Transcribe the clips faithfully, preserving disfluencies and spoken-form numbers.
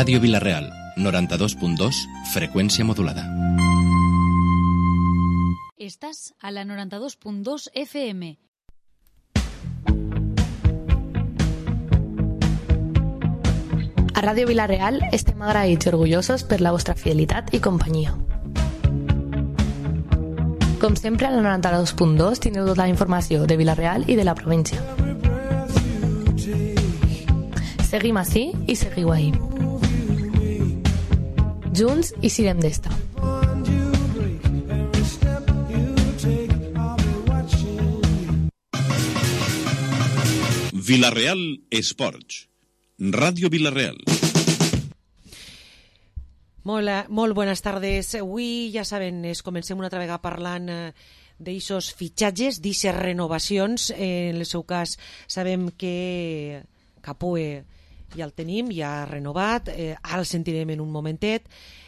Ràdio Vila-real, noranta-dos punt dos, freqüència modulada. Estàs a la noranta-dos punt dos F M. A Ràdio Vila-real estem agraïts i orgullosos per la vostra fidelitat i companyia. Com sempre, a la noranta-dos punt dos teniu tota la informació de Vila-real i de la província. Seguim ací i seguiu ahí. Junts i sirem d'esta. Vila-real Esports. Ràdio Vila-real. Molt, molt bones tardes. Avui, ja saben, es comencem una altra vegada parlant d'aixos fitxatges, d'aixes renovacions. En el seu cas, sabem que Capoe ja el tenim, ja ha renovat. Eh, ara el sentirem en un momentet.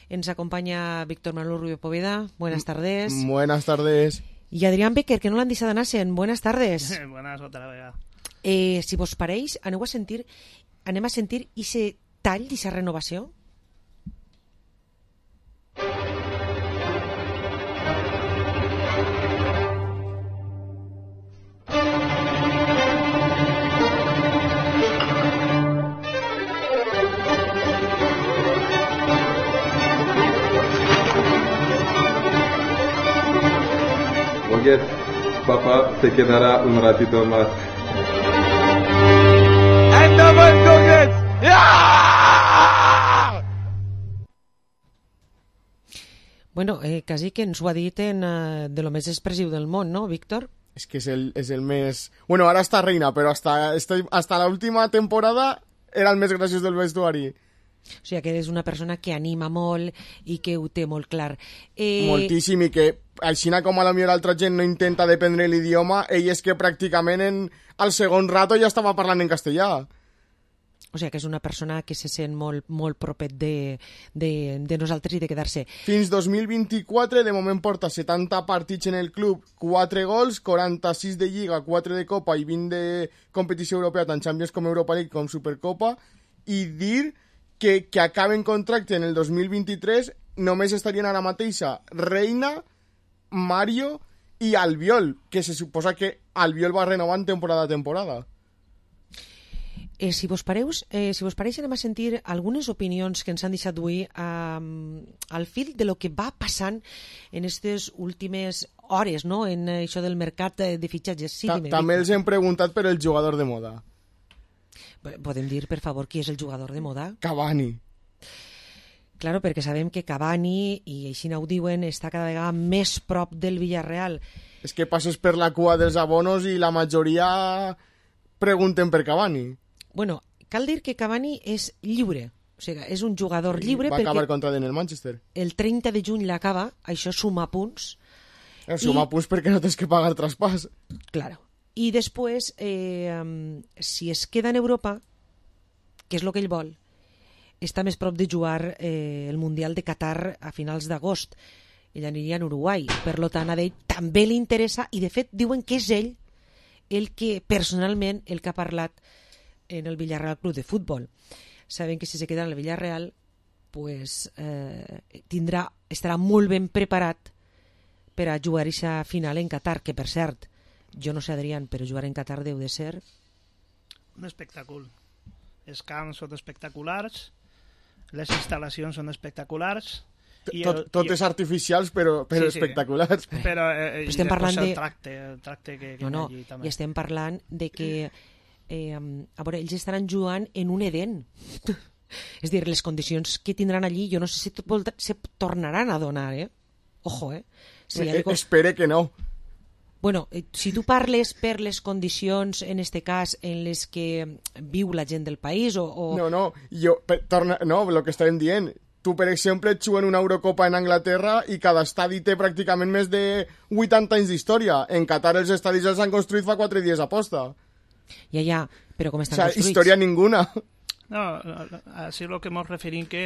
Ens acompanya Víctor Manuel Rubio Poveda. Buenas tardes. Buenas tardes. Y Adrián Becker, que no l'han deixat anar sent. Buenas tardes. Buenas, otra vegada. Eh, si vos pareix, aneu a sentir, anem a sentir ese tall, esa renovació. Oye, papá se quedará un ratito más. Bueno, eh, quasi que ens ho ha dit en, uh, de lo més expressiu del món, ¿no, Víctor? Es que es el, es el mes... Bueno, ahora está Reina, pero hasta, este, hasta la última temporada era el més graciós del vestuari. O sigui que és una persona que anima molt i que ho té molt clar. Eh... Moltíssim, i que així com a la millor altra gent no intenta dependre l'idioma, ell és que pràcticament en, al segon rato ja estava parlant en castellà. O sigui que és una persona que se sent molt, molt propet de, de, de nosaltres i de quedar-se. Fins dos mil vint-i-quatre, de moment porta setanta partits en el club, quatre gols, quaranta-sis de Lliga, quatre de Copa i vint de competició europea, tant Champions com Europa League com Supercopa, i dir que, que acaben contracte en el dos mil vint-i-tres només estarien ara mateixa Reina, Mario i Albiol, que se suposa que Albiol va renovant temporada a temporada. Eh, si vos pareus, eh, si vos pareix, anem a sentir algunes opinions que ens han deixat avui eh, al fil de lo que va passant en aquestes últimes hores, no?, en això del mercat de fitxatges. Sí, Ta dime, també els hem preguntat per el jugador de moda. Podem dir, per favor, qui és el jugador de moda? Cavani. Claro, perquè sabem que Cavani, i així ho diuen, està cada vegada més prop del Villarreal. És que passes per la cua dels abonos i la majoria pregunten per Cavani. Bueno, cal dir que Cavani és lliure, o sigui, és un jugador lliure va perquè... acabar contract en el Manchester. El trenta de juny l'acaba, això suma punts. Eh, suma I... punts perquè no tens que pagar traspàs. Claro. I després, eh, si es queda en Europa, que és el que ell vol, està més prop de jugar eh, el Mundial de Qatar a finals d'agost. Ell aniria en Uruguai. Per tant, a ell també li interessa, i de fet diuen que és ell el que, personalment, el que ha parlat en el Villarreal Club de Futbol. Saben que si se queda en el Villarreal, pues, eh, tindrà, estarà molt ben preparat per a jugar aquesta final en Qatar, que per cert, jo no sé, Adrián, però jugar en Qatar deu de ser... Un espectacle. Els camps són espectaculars, les instal·lacions són espectaculars... I tot, totes i... artificials, però, però sí, sí. espectaculars. Però, eh, estem parlant de... el tracte, el tracte que, que no, no, allí també. I estem parlant de que eh, a veure, ells estaran jugant en un Eden. És dir, les condicions que tindran allí, jo no sé si se tornaran a donar, eh? Ojo, eh? Si eh algo... Espere que no. Bueno, eh, si tu parles per les condicions, en este cas, en les que viu la gent del país o... o... No, no, jo, per, torna, no, el que estàvem dient... Tu, per exemple, ets en una Eurocopa en Anglaterra i cada estadi té pràcticament més de vuitanta anys d'història. En Qatar els estadis els han construït fa quatre dies a posta. Ja, ja, però com estan o sea, construïts? Història ninguna. No, així és el que ens referim que,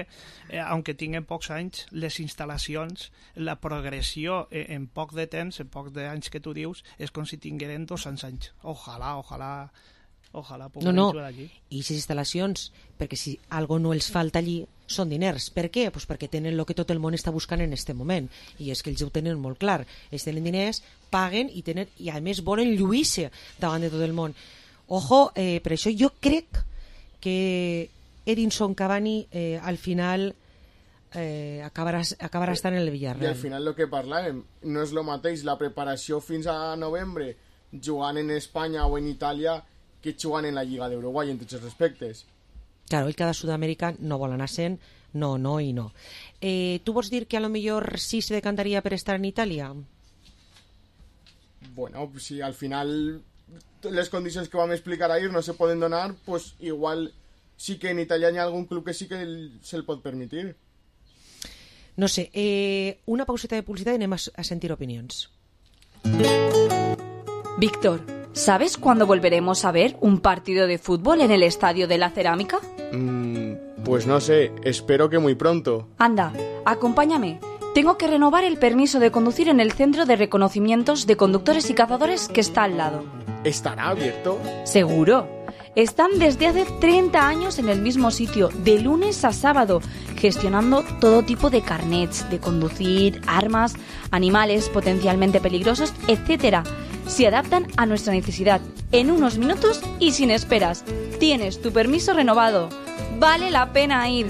eh, aunque tinguen pocs anys, les instal·lacions, la progressió eh, en poc de temps, en poc d'anys que tu dius, és com si tingueren dos cents anys. Ojalà, ojalà... Ojalà no, no. jugar allí. I aquestes instal·lacions, perquè si algo no els falta allí, són diners. Per què? Pues perquè tenen el que tot el món està buscant en aquest moment, i és que ells ho tenen molt clar. Ells tenen diners, paguen i, tenen, i a més volen lluir-se davant de tot el món. Ojo, eh, per això jo crec que Edinson Cavani eh, al final eh, acabarà, acabarà estant en el Villarreal. I al final el que parlàvem no és el mateix la preparació fins a novembre jugant en Espanya o en Itàlia que jugant en la Lliga d'Uruguai en tots els respectes. Claro, el cada sud-americà no vol anar sent, no, no i no. Eh, tu vols dir que a lo millor sí se decantaria per estar en Itàlia? Bueno, si al final les condicions que vam explicar ahir no se poden donar, pues igual sí que en Itàlia hi ha algun club que sí que se'l pot permitir. No sé, eh, una pauseta de publicitat i anem a, a sentir opinions. Víctor, ¿sabes cuándo volveremos a ver un partido de fútbol en el Estadio de la Cerámica? Mm, pues no sé, espero que muy pronto. Anda, acompáñame. Tengo que renovar el permiso de conducir en el Centro de Reconocimientos de Conductores y Cazadores que está al lado. ¿Estará abierto? Seguro. Están desde hace treinta años en el mismo sitio, de lunes a sábado, gestionando todo tipo de carnets de conducir, armas, animales potencialmente peligrosos, etcétera. Se adaptan a nuestra necesidad en unos minutos y sin esperas. Tienes tu permiso renovado. Vale la pena ir.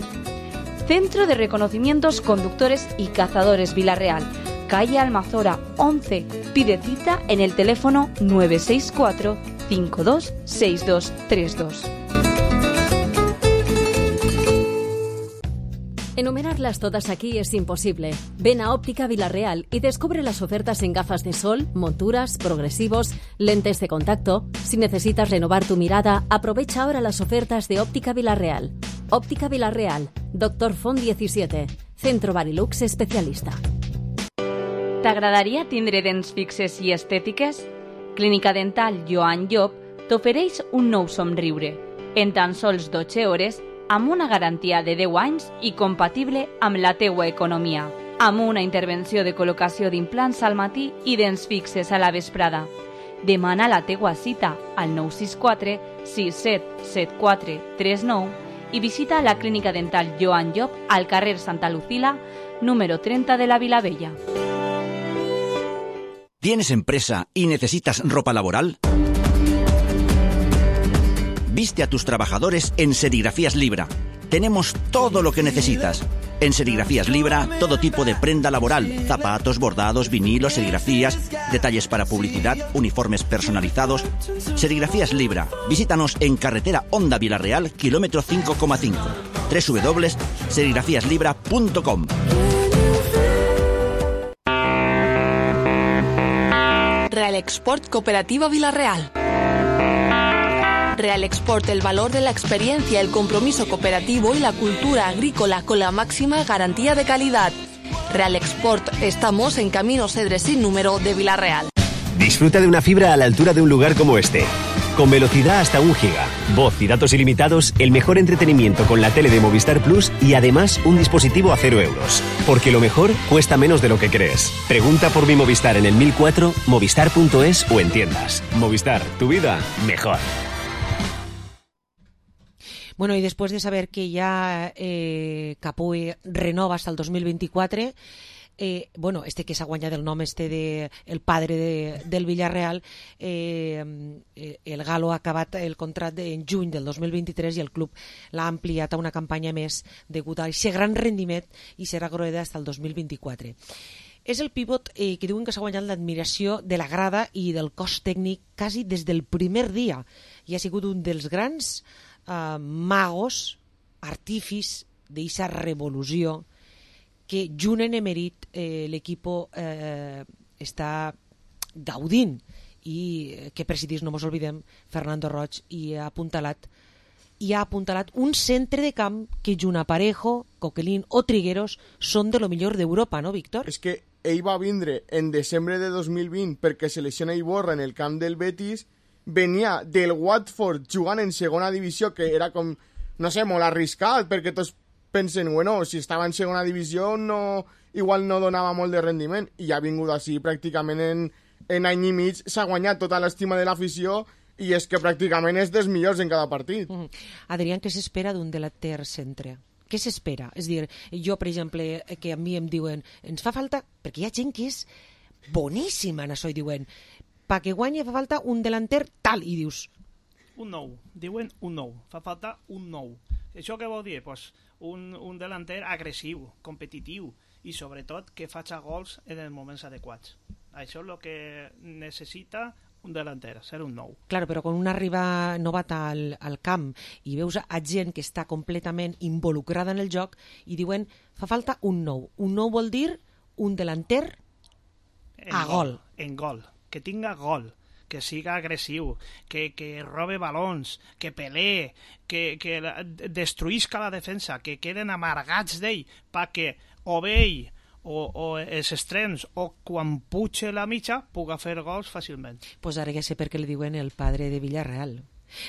Centro de Reconocimientos Conductores y Cazadores Vilarreal, calle Almazora once. Pide cita en el teléfono nueve seis cuatro cinco dos seis dos tres dos. Enumerarlas todas aquí es imposible. Ven a Óptica Vilarreal y descubre las ofertas en gafas de sol, monturas, progresivos, lentes de contacto. Si necesitas renovar tu mirada, aprovecha ahora las ofertas de Óptica Vilarreal. Óptica Vilarreal, Doctor Font diecisiete, Centro Barilux especialista. T'agradaria tindre dents fixes i estètiques? Clínica Dental Joan Llop t'ofereix un nou somriure, en tan sols dotze hores, amb una garantia de deu anys i compatible amb la teua economia, amb una intervenció de col·locació d'implants al matí i dents fixes a la vesprada. Demana la teua cita al nou sis quatre sis set set quatre tres nou i visita la Clínica Dental Joan Llop al carrer Santa Lucila, número treinta de la Vilavella. ¿Tienes empresa y necesitas ropa laboral? Viste a tus trabajadores en Serigrafías Libra. Tenemos todo lo que necesitas. En Serigrafías Libra, todo tipo de prenda laboral, zapatos, bordados, vinilos, serigrafías, detalles para publicidad, uniformes personalizados. Serigrafías Libra. Visítanos en carretera Honda Vilarreal, kilómetro cinco coma cinco. doble u doble u doble u punto serigrafías libra punto com. Real Export Cooperativa Vilarreal. Real Export, el valor de la experiencia, el compromiso cooperativo y la cultura agrícola con la máxima garantía de calidad. Real Export, estamos en Camino Cedres sin número de Vilarreal. Disfruta de una fibra a la altura de un lugar como este. Con velocidad hasta un giga, voz y datos ilimitados, el mejor entretenimiento con la tele de Movistar Plus y además un dispositivo a cero euros. Porque lo mejor cuesta menos de lo que crees. Pregunta por mi Movistar en el mil cuatro, movistar punto es o en tiendas. Movistar, tu vida mejor. Bueno, i després de saber que ja eh, Capoe renova hasta el dos mil vint-i-quatre, eh, bueno, este que s'ha guanyat el nom este de el padre de, del Villarreal, eh, el Galo ha acabat el contracte en juny del dos mil vint-i-tres i el club l'ha ampliat a una campanya més degut a aquest gran rendiment i serà groeda hasta el dos mil vint-i-quatre. És el pivot eh, que diuen que s'ha guanyat l'admiració de la grada i del cos tècnic quasi des del primer dia i ha sigut un dels grans Uh, magos, artífics d'eixa revolució que junt en emerit eh, l'equip eh, està gaudint i que presidís, no mos oblidem, Fernando Roig i ha apuntalat i ha apuntalat un centre de camp que junt a Parejo, Coquelin o Trigueros són de lo millor d'Europa, no, Víctor? És que ell va vindre en desembre de dos mil vint perquè se lesiona Iborra en el camp del Betis. Venia del Watford jugant en segona divisió, que era com, no sé, molt arriscat, perquè tots pensen, bueno, si estava en segona divisió no, igual no donava molt de rendiment, i ha vingut així pràcticament en, en any i mig, s'ha guanyat tota l'estima de l'afició, i és que pràcticament és dels millors en cada partit. Mm. Adrián, què s'espera d'un delanter centre? Què s'espera? És dir, jo, per exemple, que a mi em diuen ens fa falta, perquè hi ha gent que és boníssima en això, i diuen pa que guanyi fa falta un delanter tal, i dius... Un nou, diuen un nou, fa falta un nou. Això què vol dir? Pues un, un delanter agressiu, competitiu, i sobretot que faci gols en els moments adequats. Això és el que necessita un delanter, ser un nou. Claro, però quan un arriba novat al, al camp i veus a gent que està completament involucrada en el joc i diuen, fa falta un nou. Un nou vol dir un delanter en a gol. gol. En gol, que tinga gol, que siga agressiu, que, que robe balons, que pelee, que, que destruïsca la defensa, que queden amargats d'ell, perquè o bé ell o, o els extrems, o quan puja la mitja, puga fer gols fàcilment. Pues ara ja sé per què li diuen el padre de Villarreal.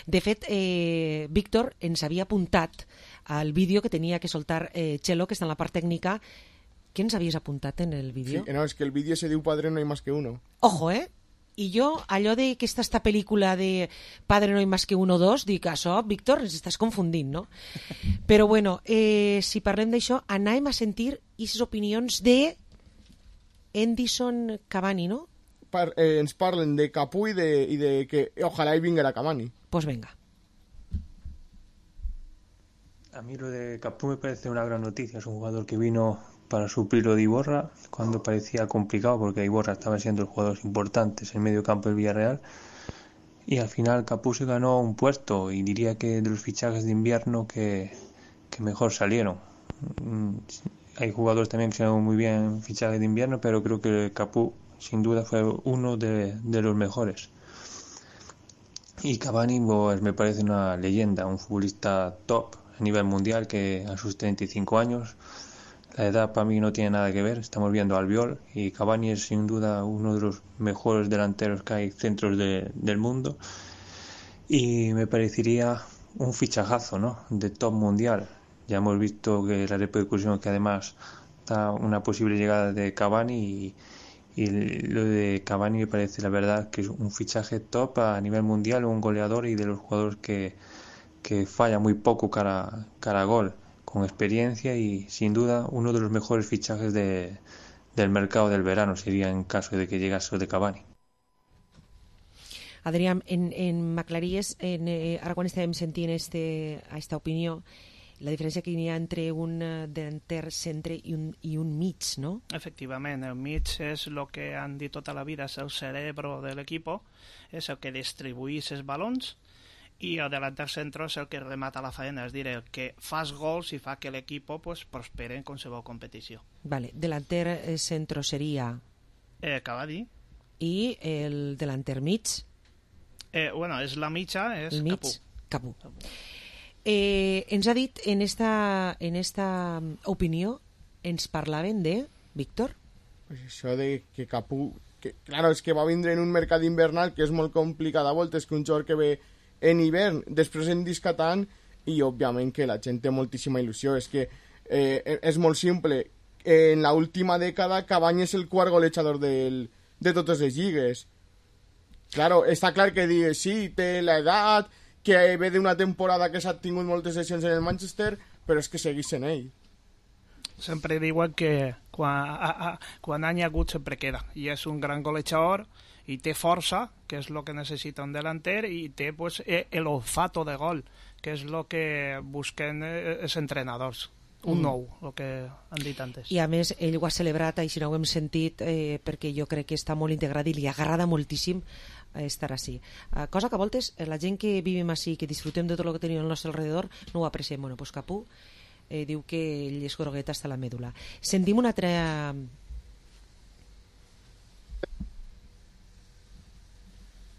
De fet, eh, Víctor ens havia apuntat al vídeo que tenia que soltar eh, Chelo, que està en la part tècnica. Què ens havies apuntat en el vídeo? Sí, no, és que el vídeo se diu Padre no hay más que uno. Ojo, eh? I jo, allò de que està esta pel·lícula de Padre no hay más que uno dos, dic, això, Víctor, ens estàs confundint, no? Però bueno, eh, si parlem d'això, anàvem a sentir aquestes opinions de Edinson Cavani, no? Par, eh, ens parlen de Capú i de, i de que ojalá y vinguera Cavani. Pues venga. A mí lo de Capú me parece una gran noticia. Es un jugador que vino para suplir lo de Iborra cuando parecía complicado, porque Iborra estaba siendo los jugadores importantes en el medio campo del Villarreal, y al final Capú se ganó un puesto, y diría que de los fichajes de invierno que, que mejor salieron. Hay jugadores también que se han muy bien en fichajes de invierno, pero creo que Capú sin duda fue uno de, de los mejores. Y Cavani pues, me parece una leyenda, un futbolista top a nivel mundial, que a sus treinta y cinco años, la edad para mí no tiene nada que ver. Estamos viendo a Albiol, y Cavani es sin duda uno de los mejores delanteros que hay centros de, del mundo, y me parecería un fichajazo, ¿no?, de top mundial. Ya hemos visto que la repercusión que además da una posible llegada de Cavani, y, y lo de Cavani me parece la verdad que es un fichaje top a nivel mundial, un goleador y de los jugadores que, que falla muy poco cara, cara a gol, con experiencia, y sin duda uno de los mejores fichajes de, del mercado del verano sería en caso de que llegase el de Cavani. Adrián, en, en m'aclaries, en, eh, ara quan estàvem sentint este, esta opinió, la diferència que hi ha entre un delanter centre i un, i un mig, no? Efectivament, el mig és el que han dit tota la vida, és el cerebro de l'equip, és el que distribuïs els balons, i el delanter centro és el que remata la faena, és dir, el que fas gols i fa que l'equip pues, prospere en qualsevol competició. Vale, delanter centro seria... Eh, Cavani. I el delanter mig? Eh, bueno, és la mitja, és mig, Capú. Capú. Eh, ens ha dit en esta, en esta opinió, ens parlaven de Víctor? Pues això de que Capú... Que, claro, és que va vindre en un mercat invernal que és molt complicat a voltes, que un jugador que ve en hivern, després en discatant, i òbviament que la gent té moltíssima il·lusió. És que eh, és molt simple. En la última dècada Cavani és el quart golejador del, de totes les lligues. Claro, està clar que digue, sí, té l'edat, que ve d'una temporada que s'ha tingut moltes sessions en el Manchester, però és que seguís en ell. Sempre diuen que quan, a, a, quan any agut sempre queda, i és un gran golejador, i té força, que és el que necessita un delanter, i té pues, el olfato de gol, que és el que busquen els entrenadors. Un mm. nou, el que han dit antes. I a més, ell ho ha celebrat, així no ho hem sentit, eh, perquè jo crec que està molt integrat i li agrada moltíssim estar així. Uh, cosa que a voltes la gent que vivim així, que disfrutem de tot el que tenim al nostre alrededor, no ho apreciem. Bueno, pues Capú eh, diu que ell és grogueta hasta la mèdula. Sentim una altra...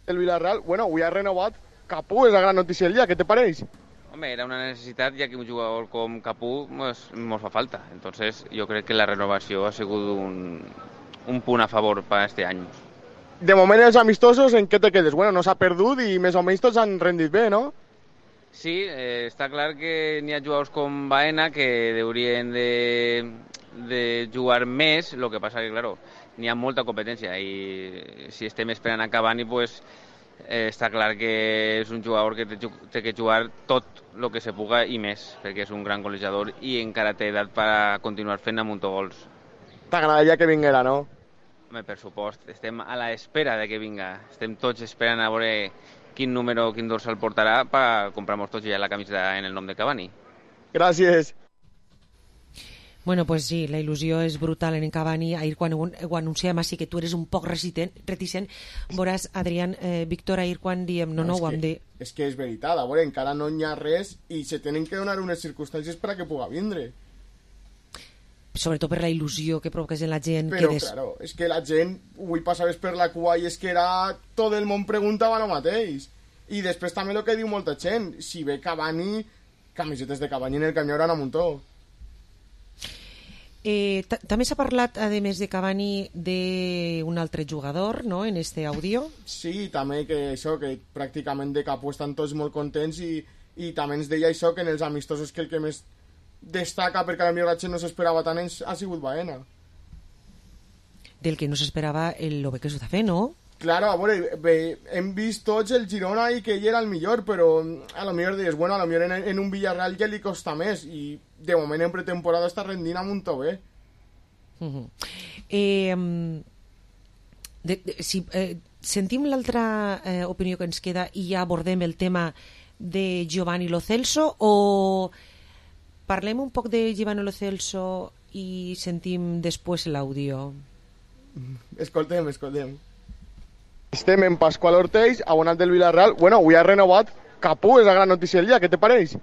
El Villarreal, bueno, avui ha renovat Capú, és la gran notícia del dia, què te pareix? Home, era una necessitat, ja que un jugador com Capú pues, mos fa falta. Entonces, jo crec que la renovació ha sigut un, un punt a favor per este any. De moment, els amistosos, en què te quedes? Bueno, no s'ha perdut i més o menys tots han rendit bé, no? Sí, eh, està clar que n'hi ha jugadors com Baena que haurien de, de jugar més, el que passa que, claro, n'hi ha molta competència i si estem esperant a Cavani, pues, Eh, està clar que és un jugador que té, té que jugar tot el que se puga i més, perquè és un gran golejador i encara té edat per a continuar fent amuntogols. T'agradaria que vinguera, no? Home, per supost, estem a l'espera de que vinga. Estem tots esperant a veure quin número, quin dorsal portarà per comprar-nos tots ja la camisa en el nom de Cavani. Gràcies. Bueno, pues sí, la il·lusió és brutal en Cavani. Ahir quan ho, ho anunciàvem així que tu eres un poc reticent, reticent veuràs, Adrián, eh, Víctor, ahir quan diem no, no, no ho hem de... És que és veritat, a veure, encara no hi ha res i se tenen que donar unes circumstàncies per a que puga vindre. Sobretot per la il·lusió que provoques en la gent. Però, que des... claro, és que la gent, avui passaves per la cua i és que era... Tot el món preguntava el mateix. I després també el que diu molta gent, si ve Cavani, camisetes de Cavani en el camió eren a muntó. Eh, també s'ha parlat, a més de Cavani, d'un altre jugador, no?, en este àudio. Sí, també que això, que pràcticament de Capú estan tots molt contents i, i també ens deia això, que en els amistosos que el que més destaca, perquè a la millor la gent no s'esperava tant, ha sigut Baena. Del que no s'esperava el lo bé que s'ho està fent, no? Claro, a veure, bé, hem vist tots el Girona i que ell era el millor, però a lo millor dius, bueno, a lo millor en, en un Villarreal ja li costa més i de moment en pretemporada està rendint a muntó bé. Uh-huh. eh, de, de, si eh, sentim l'altra eh, opinió que ens queda i ja abordem el tema de Giovanni Lo Celso, o parlem un poc de Giovanni Lo Celso i sentim després l'àudio? Escoltem, escoltem. Estem en Pasqual Ortells, abonat del Villarreal. Bueno, avui ha renovat Capú, és la gran notícia del dia. Què te pareix?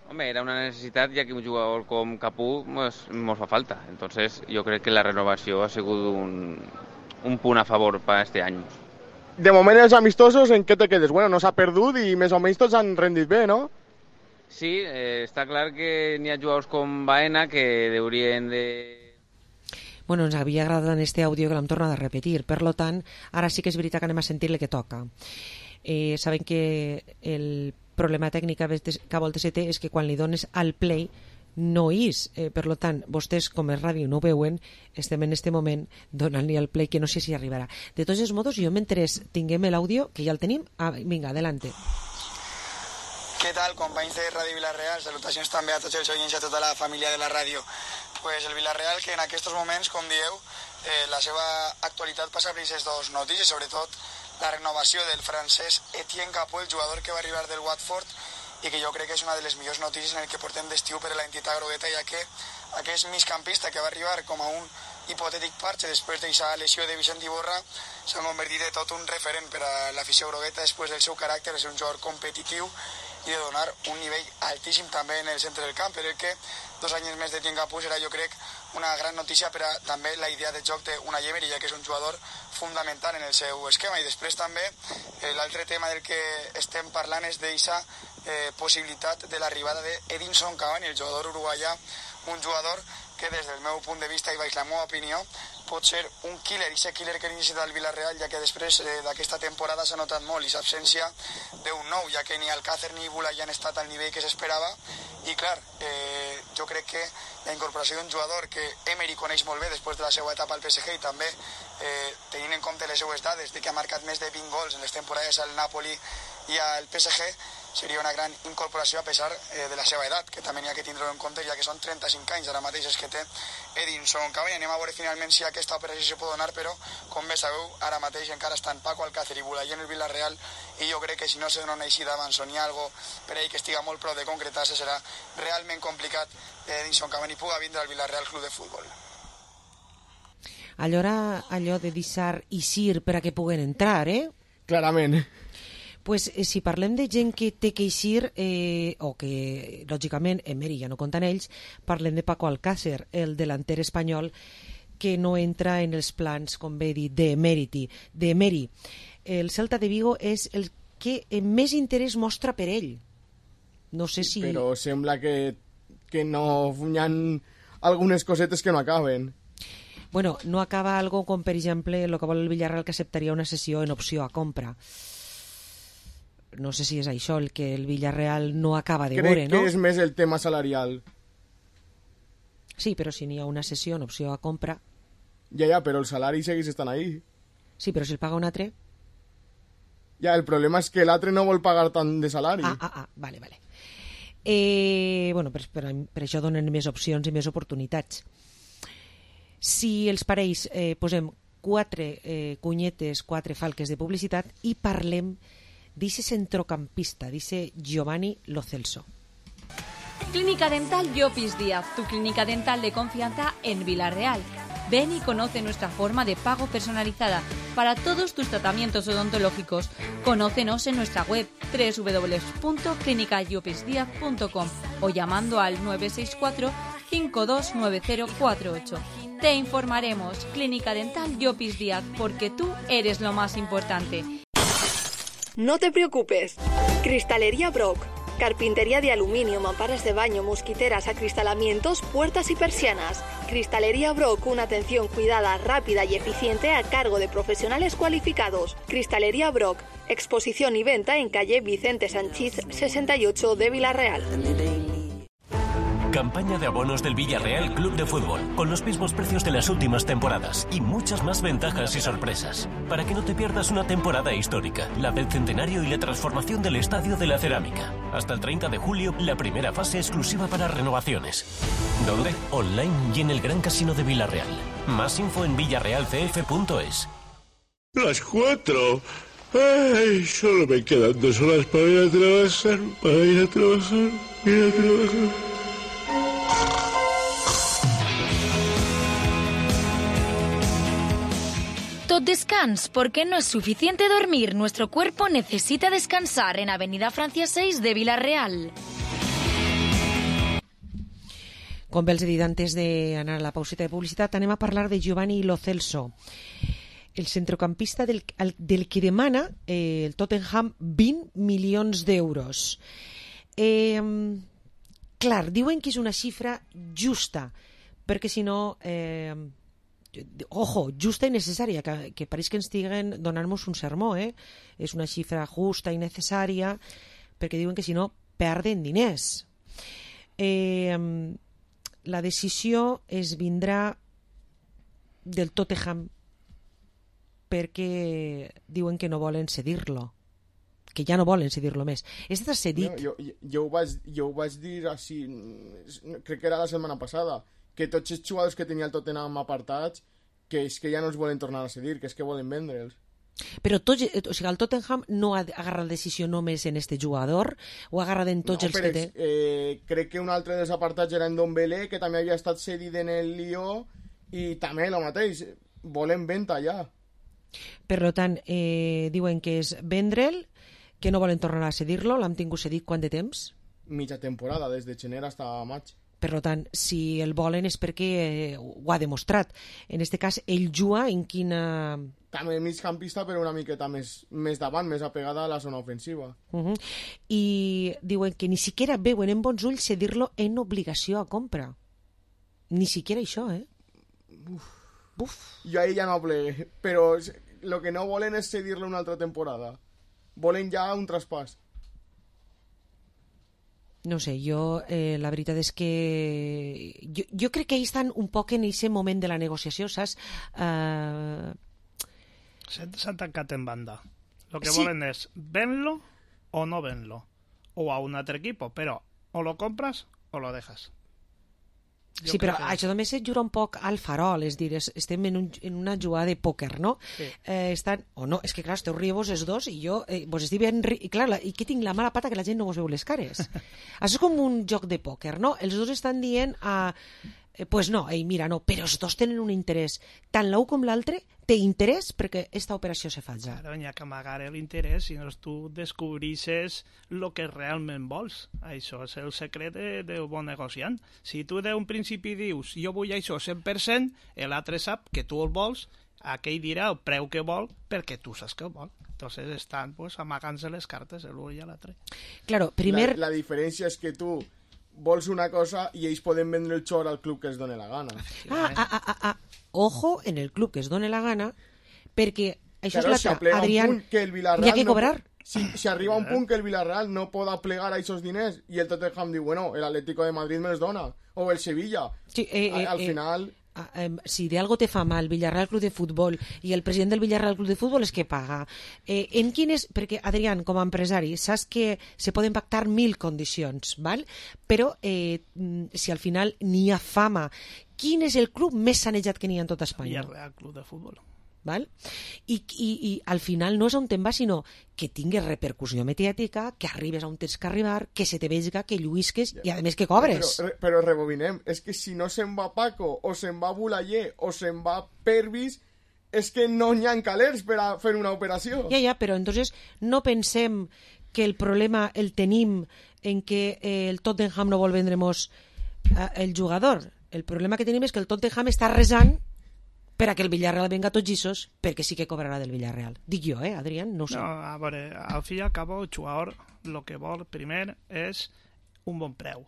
Hombre, era una necessitat, ja que un jugador com Capú pues, nos fa falta. Entonces, jo crec que la renovació ha sigut un, un punt a favor per este any. De moment, els amistosos, en què te quedes? Bueno, no s'ha perdut i més o menys tots han rendit bé, no? Sí, eh, està clar que n'hi ha jugadors com Baena que haurien de... Bueno, ens havia agradat en este àudio que l'hem tornat a repetir, per lo tant, ara sí que és veritat que anem a sentir el que toca. Eh, saben que el problema tècnic que a voltes té és que quan li dones al play no és, eh, per lo tant, vostès com a ràdio no ho veuen, estem en este moment donant-li al play que no sé si arribarà. De tots els modos, jo mentre tinguem l'àudio, que ja el tenim, ah, vinga, adelante. Què tal, companys de Ràdio Villarreal? Salutacions també a tots els oients i a tota la família de la ràdio. Pues el Villarreal, que en aquests moments, com dieu, eh, la seva actualitat passa per aquestes dues notícies, sobretot la renovació del francès Etienne Capú, el jugador que va arribar del Watford, i que jo crec que és una de les millors notícies en el que portem d'estiu per a l'entitat grogueta, ja que aquest migcampista que va arribar com a un hipotètic parche després d'aquesta lesió de Vicent Iborra s'ha convertit en tot un referent per a l'afició grogueta després del seu caràcter, és un jugador competitiu i de donar un nivell altíssim també en el centre del camp, però el que dos anys més de Etienne Capú serà, jo crec, una gran notícia per a també la idea de joc d'Unai Emery, ja que és un jugador fundamental en el seu esquema. I després també eh, l'altre tema del que estem parlant és d'aquesta eh, possibilitat de l'arribada d'Edinson Cavani, el jugador uruguaià, un jugador que des del meu punt de vista i baix la meva opinió pot ser un killer, i aquest killer que necessita el Villarreal, ja que després eh, d'aquesta temporada s'ha notat molt i l'absència d'un nou, ja que ni Alcácer ni Bula ja han estat al nivell que s'esperava, i clar, eh, jo crec que la incorporació d'un jugador que Emery coneix molt bé després de la seva etapa al P S G i també eh, tenint en compte les seues dades de que ha marcat més de vint gols en les temporades al Napoli i al P S G, seria una gran incorporació a pesar eh, de la seva edat, que també n'hi ha que tindre en compte, ja que són trenta-cinc anys ara mateix és que té Edinson Cavani. Anem a veure finalment si aquesta operació se pot donar, però com bé sabeu, ara mateix encara estan Paco Alcácer i Bulaí en el Villarreal, i jo crec que si no se dona una eixida d'abans o n'hi ha algo per ahí que estiga molt prou de concretar-se, serà realment complicat que Edinson Cavani puga vindre al Villarreal Club de Futbol. Allora, allò de deixar eixir per a que puguen entrar, eh? Clarament. Pues, eh, si parlem de gent que té que eixir, eh, o que, lògicament, Emery ja no compta en ells, parlem de Paco Alcácer, el delanter espanyol, que no entra en els plans, com bé dit, d'Emery. d'Emery. El Celta de Vigo és el que més interès mostra per ell. No sé si... Però sembla que, que no hi ha algunes cosetes que no acaben. Bueno, no acaba algo com, per exemple, el que vol el Villarreal, que acceptaria una sessió en opció a compra. No sé si és això el que el Villarreal no acaba de veure, no? Crec que és més el tema salarial. Sí, però si n'hi ha una sessió en opció a compra... Ja, ja, però el salari segueix estant ahí. Sí, però si el paga un altre... Ja, el problema és que l'altre no vol pagar tant de salari. Ah, ah, ah, vale, vale. Eh, bueno, per, per, per això donen més opcions i més oportunitats. Si els parells eh, posem quatre eh, cunyetes, quatre falques de publicitat i parlem d'ese centrocampista, d'ese Giovanni Lo Celso. Clínica Dental Llopis Díaz, tu clínica dental de confianza en Villarreal. Ven y conoce nuestra forma de pago personalizada para todos tus tratamientos odontológicos. Conócenos en nuestra web doble u doble u doble u punto clínica llopis díaz punto com o llamando al nueve seis cuatro, cinco dos nueve cero cuatro ocho. Te informaremos. Clínica Dental Llopis Díaz, porque tú eres lo más importante. No te preocupes. Cristalería Brock. Carpintería de aluminio, mamparas de baño, mosquiteras, acristalamientos, puertas y persianas. Cristalería Brock, una atención cuidada, rápida y eficiente a cargo de profesionales cualificados. Cristalería Brock, exposición y venta en calle Vicente Sanchís sesenta y ocho de Villarreal. Campaña de abonos del Villarreal Club de Fútbol, con los mismos precios de las últimas temporadas y muchas más ventajas y sorpresas. Para que no te pierdas una temporada histórica, la del centenario y la transformación del Estadio de la Cerámica. Hasta el treinta de julio, la primera fase exclusiva para renovaciones. ¿Dónde? Online y en el Gran Casino de Villarreal. Más info en villarreal c f punto es. Las cuatro. Ay, solo me quedan dos horas para ir a trabajar, para ir a trabajar, ir a trabajar. Tot descans, porque no es suficiente dormir. Nuestro cuerpo necesita descansar en Avenida Francia seis de Villarreal. Com bé els he dit antes d'anar a la pauseta de publicitat, anem a parlar de Giovanni Lo Celso, el centrocampista del, del que demana eh, el Tottenham vint milions d'euros. Eh, clar, diuen que és una xifra justa, perquè si no... Eh, ojo, justa i necessària, que, que pareix que ens estiguen donant-nos un sermó, eh? És una xifra justa i necessària, perquè diuen que si no perden diners. Eh, la decisió es vindrà del Tottenham, perquè diuen que no volen cedir-lo, que ja no volen cedir-lo més. Està cedit. No, jo, jo, ho vaig, jo ho vaig dir així, crec que era la setmana passada, que tots els jugadors que tenia el Tottenham apartats, que és que ja no els volen tornar a cedir, que és que volen vendre'ls. Però tots, o sigui, el Tottenham no ha agarrat decisió només en este jugador, o ha agarrat en tots no, els que té... Eh, crec que un altre dels apartats era en Dombele, que també havia estat cedit en el Lió, i també el mateix, volen venda ja. Per tant, eh, diuen que és vendre'l, que no volen tornar a cedir-lo, l'han tingut cedit quant de temps? Mitja temporada, des de gener fins a maig. Per tant, si el volen és perquè eh, ho ha demostrat. En este cas, ell juga en quina... També migcampista, però una miqueta més, més davant, més apegada a la zona ofensiva. Uh -huh. I diuen que ni siquiera veuen en bons ulls cedir-lo en obligació a compra. Ni siquiera això, eh? Uf. Uf. Jo ahí ja no plegué, però el que no volen és cedir-lo una altra temporada. Volen ja un traspàs. No sé, jo eh, la veritat és que jo, jo crec que ells estan un poc en aquest moment de la negociació, saps? Uh... S'han tancat en banda. Lo que sí. volen és venlo o no venlo, o a un altre equipo, però o lo compras o lo dejas. Jo sí, però que... això també se juga un poc al farol, és dir, estem en, un, en una jugada de pòquer, no? Sí. Eh, estan, o no, és que clar, esteu rie vos els dos i jo, eh, vos estic ben ri... I clar, la, i que tinc la mala pata que la gent no vos veu les cares. Això és com un joc de pòquer, no? Els dos estan dient a... Eh, pues no, ei, mira, no, però els dos tenen un interès. Tant l'un com l'altre té interès perquè aquesta operació se faci. Claro, n'hi ha que amagar l'interès, si no tu descobrisses el que realment vols. Això és el secret de, de bon negociant. Si tu d'un principi dius jo vull això cent per cent, l'altre sap que tu el vols, aquell dirà el preu que vol perquè tu saps que el vol. Entonces estan pues, amagant-se les cartes l'un i l'altre. Claro, primer... La, la diferència és que tu vols una cosa i ells poden vendre el xor al club que es doni la gana. Ah, ah, ah, ah, ah. Ojo en el club que es doni la gana, perquè això claro, és l'altre, Adrián, hi ha que cobrar. No, si, si arriba un punt que el Villarreal no poda plegar a esos diners i el Tottenham diu, bueno, el Atlético de Madrid me els dona, o el Sevilla, sí, eh, eh, al eh, final... si de algo te fa mal Villarreal Club de Futbol i el president del Villarreal Club de Futbol és que paga. Eh, en quines... Perquè, Adrián, com a empresari, saps que se poden pactar mil condicions, val? Però eh, si al final n'hi ha fama, quin és el club més sanejat que n'hi ha en tota Espanya? Villarreal Club de Futbol. Val? I, i, i al final no és on te'n va, sinó que tingues repercussió mediàtica, que arribes on tens que arribar, que se te vega, que lluisques i a més que cobres. Però, però rebobinem, és que si no se'n va Paco, o se'n va Bulaller, o se'n va Pervis, és que no n'hi ha calers per a fer una operació. Ja, ja, però entonces no pensem que el problema el tenim en que eh, el Tottenham no vol vendre'ns eh, el jugador. El problema que tenim és que el Tottenham està resant per a que el Villarreal venga tots lliços, perquè sí que cobrarà del Villarreal. Dic jo, eh, Adrián? No ho sé. No, a veure, al fi i al cabo, el jugador el que vol primer és un bon preu.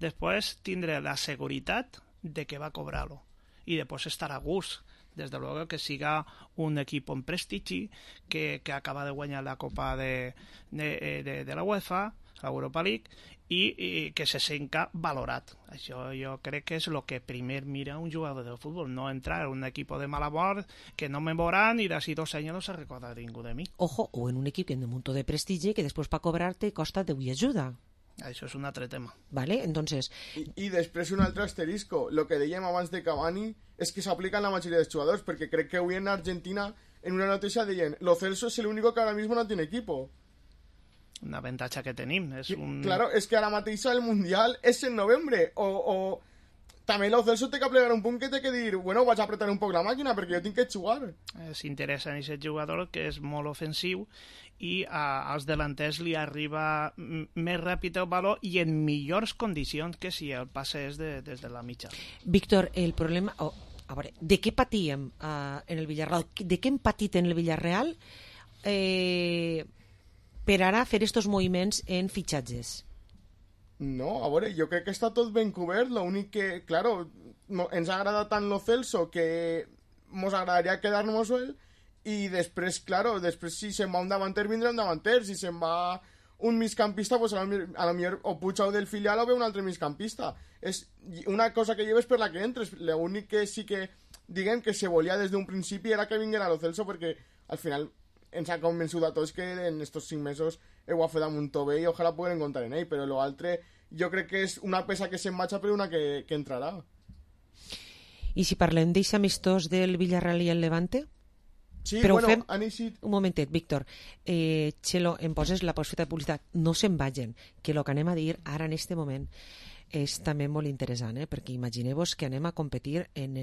Després tindré la seguretat de que va cobrar-lo. I després estar a gust. Desde luego que siga un equipo en prestigi que, que acaba de guanyar la Copa de, de, de, de la UEFA, la Europa League, i, i que se senta valorat. Això jo crec que és el que primer mira un jugador de futbol, no entrar en un equipo de mala mort que no me veurán y de así dos años no se recorda ningú de mi. Ojo, o en un equip que de un munt de prestigi que després per cobrar-te costa de ajuda. Això és un altre tema. Vale, entonces... I, i després un altre asterisco. Lo que dèiem abans de Cavani és que s'aplica en la majoria dels jugadors, perquè crec que avui en Argentina en una notícia deien Lo Celso es el único que ahora mismo no tiene equipo. Una avantatge que tenim. És un... Claro, és que ara mateix el Mundial és en novembre, o... o... També Lo Celso té que plegar un punt que té que dir bueno, vaig a apretar un poc la màquina perquè jo tinc que jugar. S'interessa en aquest jugador que és molt ofensiu i a, als delanters li arriba més ràpid el valor i en millors condicions que si el passe és de, des de la mitja. Víctor, el problema... Oh, a veure, de què patíem uh, en el Villarreal? De què hem patit en el Villarreal eh, per ara fer estos moviments en fitxatges? No, a veure, jo crec que està tot ben cobert, l'únic que, claro, no, ens agrada tant Lo Celso que mos agradaria quedar-nos ell i després, claro, després si se'n va un davanter vindrà un davanter, si se'n va un migcampista, pues a lo, a lo millor o puja del filial o ve un altre migcampista. És una cosa que lleves per la que entres, l'únic que sí que diguem que se volia des d'un principi era que vinguera Lo Celso perquè al final ens ha convençut a tots que en estos cinc mesos ho ha fet damunt tot bé i ojalà puguem comptar en ell, però l'altre jo crec que és una peça que se'n marxa per una que, que entrarà. I si parlem d'eixe amistós del Villarreal i el Levante? Sí, però bueno, fem... han eixit... Un momentet, Víctor. Eh, Xelo, em poses la postfeta de publicitat. No se'n vagin, que el que anem a dir ara en este moment és també molt interessant, eh? Perquè imagineu-vos que anem a competir en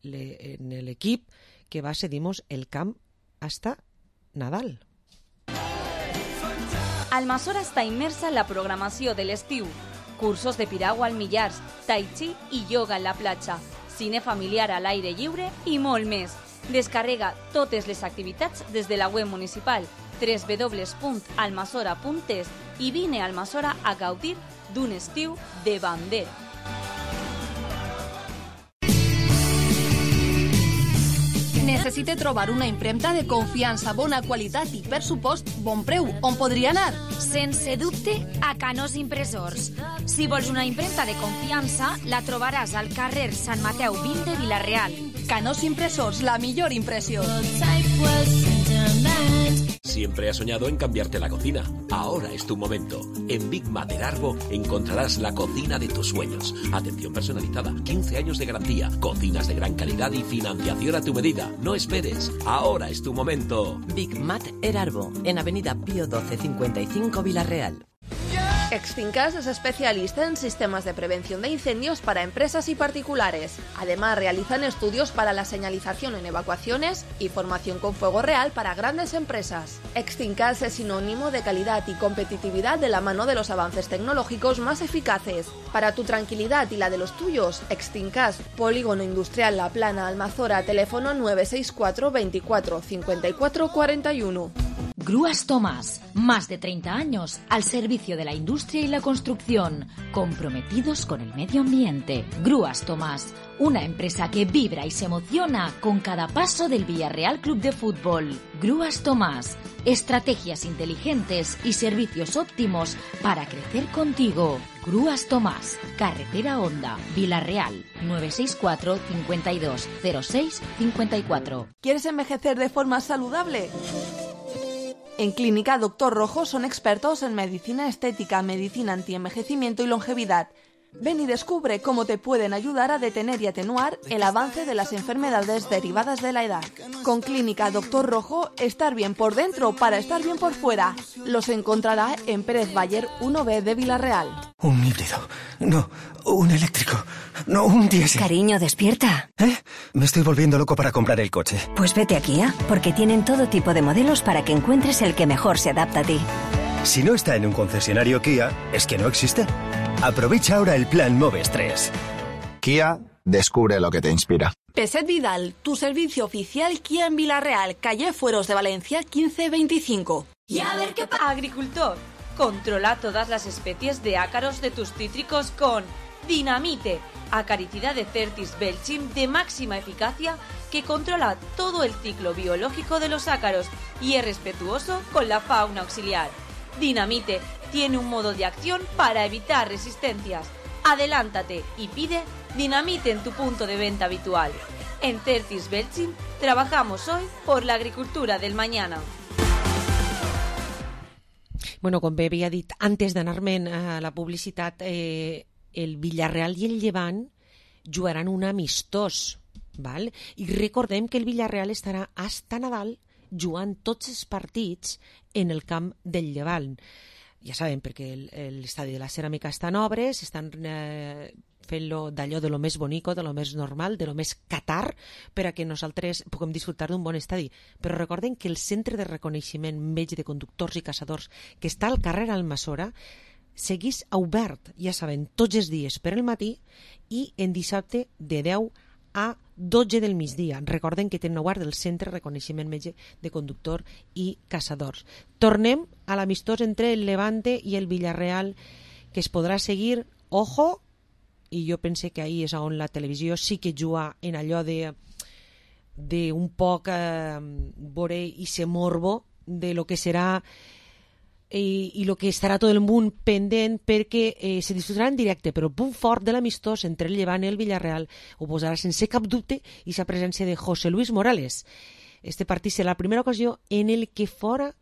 l'equip que va cedir-nos el camp hasta Nadal. Almassora està immersa en la programació de l'estiu. Cursos de piragua al Millars, tai chi i yoga en la platja, cine familiar a l'aire lliure i molt més. Descarrega totes les activitats des de la web municipal w w w punt almassora punt es i vine a Almassora a gaudir d'un estiu de bandera. Necessite trobar una impremta de confiança, bona qualitat i, per supost, bon preu. On podria anar? Sense dubte, a Canós Impressors. Si vols una impremta de confiança, la trobaràs al carrer Sant Mateu vint de Vila-real. Canós Impressors, la millor impressió. Siempre has soñado en cambiarte la cocina. Ahora es tu momento. En Big Mater Arbo encontrarás la cocina de tus sueños. Atención personalizada, quince años de garantía, cocinas de gran calidad y financiación a tu medida. No esperes. Ahora es tu momento. Big Mater Arbo, en Avenida Pío doce cincuenta y cinco Vila-real. Extincas es especialista en sistemas de prevención de incendios para empresas y particulares. Además, realizan estudios para la señalización en evacuaciones y formación con fuego real para grandes empresas. Extincas es sinónimo de calidad y competitividad de la mano de los avances tecnológicos más eficaces. Para tu tranquilidad y la de los tuyos, Extincas, Polígono Industrial La Plana, Almazora, teléfono nueve seis cuatro veinticuatro cincuenta y cuatro cuarenta y uno. Grúas Tomás, más de treinta años al servicio de la industria y la construcción, comprometidos con el medio ambiente. Grúas Tomás, una empresa que vibra y se emociona con cada paso del Villarreal Club de Fútbol. Grúas Tomás, estrategias inteligentes y servicios óptimos para crecer contigo. Grúas Tomás, Carretera Honda, Villarreal, nueve seis cuatro, cincuenta y dos, cero seis, cincuenta y cuatro. ¿Quieres envejecer de forma saludable? En Clínica Doctor Rojo son expertos en medicina estética, medicina antienvejecimiento y longevidad. Ven y descubre cómo te pueden ayudar a detener y atenuar el avance de las enfermedades derivadas de la edad. Con Clínica Doctor Rojo, estar bien por dentro para estar bien por fuera. Los encontrará en Pérez Bayer uno B de Villarreal. Un híbrido. No, un eléctrico. No, un diésel. Cariño, despierta. ¿Eh? Me estoy volviendo loco para comprar el coche. Pues vete a Kia, porque tienen todo tipo de modelos para que encuentres el que mejor se adapta a ti. Si no está en un concesionario Kia, es que no existe. Aprovecha ahora el plan Moves tres. Kia, descubre lo que te inspira. Peset Vidal, tu servicio oficial Kia en Villarreal, calle Fueros de Valencia quince veinticinco. Y a ver qué pasa. Agricultor, controla todas las especies de ácaros de tus cítricos con Dinamite, acaricida de Certis Belchim de máxima eficacia que controla todo el ciclo biológico de los ácaros y es respetuoso con la fauna auxiliar. Dinamite tiene un modo de acción para evitar resistencias. Adelántate y pide Dinamite en tu punto de venta habitual. En Certis Belchim trabajamos hoy por la agricultura del mañana. Bueno, com bé havia dit antes d'anar-me'n a la publicitat, eh, el Villarreal i el Llevant jugaran un amistós, val? I recordem que el Villarreal estarà hasta Nadal jugant tots els partits en el camp del Llevant. Ja sabem, perquè l'estadi de la Ceràmica està en obres, estan eh, fent-lo d'allò de lo més bonico, de lo més normal, de lo més Qatar, per a que nosaltres puguem disfrutar d'un bon estadi. Però recorden que el centre de reconeixement metge de conductors i caçadors que està al carrer Almassora seguís obert, ja saben, tots els dies per el matí i en dissabte de deu a dotze del migdia. Recorden que tenen obert el centre de reconeixement metge de conductor i caçadors. Tornem a l'amistós entre el Levante i el Villarreal, que es podrà seguir, ojo, i jo pense que ahir és on la televisió sí que juga en allò de, de un poc eh, veure i ser morbo de lo que serà i, i lo que estarà tot el món pendent perquè eh, se disfrutarà en directe, però el punt fort de l'amistós entre el Llevant i el Villarreal ho posarà sense cap dubte i la presència de José Luis Morales. Este partit serà la primera ocasió en el que fora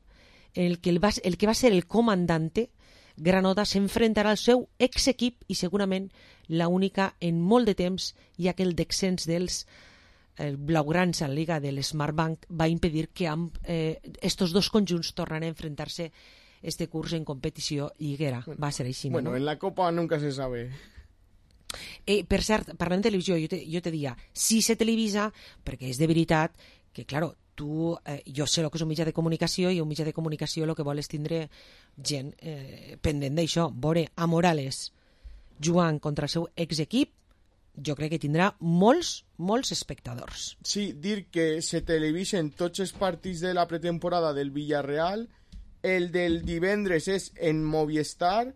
en el que, el va, el que va ser el comandante Granota s'enfrontarà al seu ex-equip i segurament la única en molt de temps, ja que el descens dels el blaugrans a la Liga del Smartbank va impedir que amb, eh, estos dos conjunts tornaran a enfrentar-se este curs en competició lliguera. Va ser així, bueno, no? En la Copa nunca se sabe. Eh, per cert, parlant de televisió, jo te, jo te dia, si se televisa, perquè és de veritat que, claro, tu, eh, jo sé el que és un mitjà de comunicació i un mitjà de comunicació el que vol és tindre gent eh, pendent d'això. Veure a Morales jugant contra el seu ex-equip, jo crec que tindrà molts, molts espectadors. Sí, dir que se televisen tots els partits de la pretemporada del Villarreal, el del divendres és en Movistar,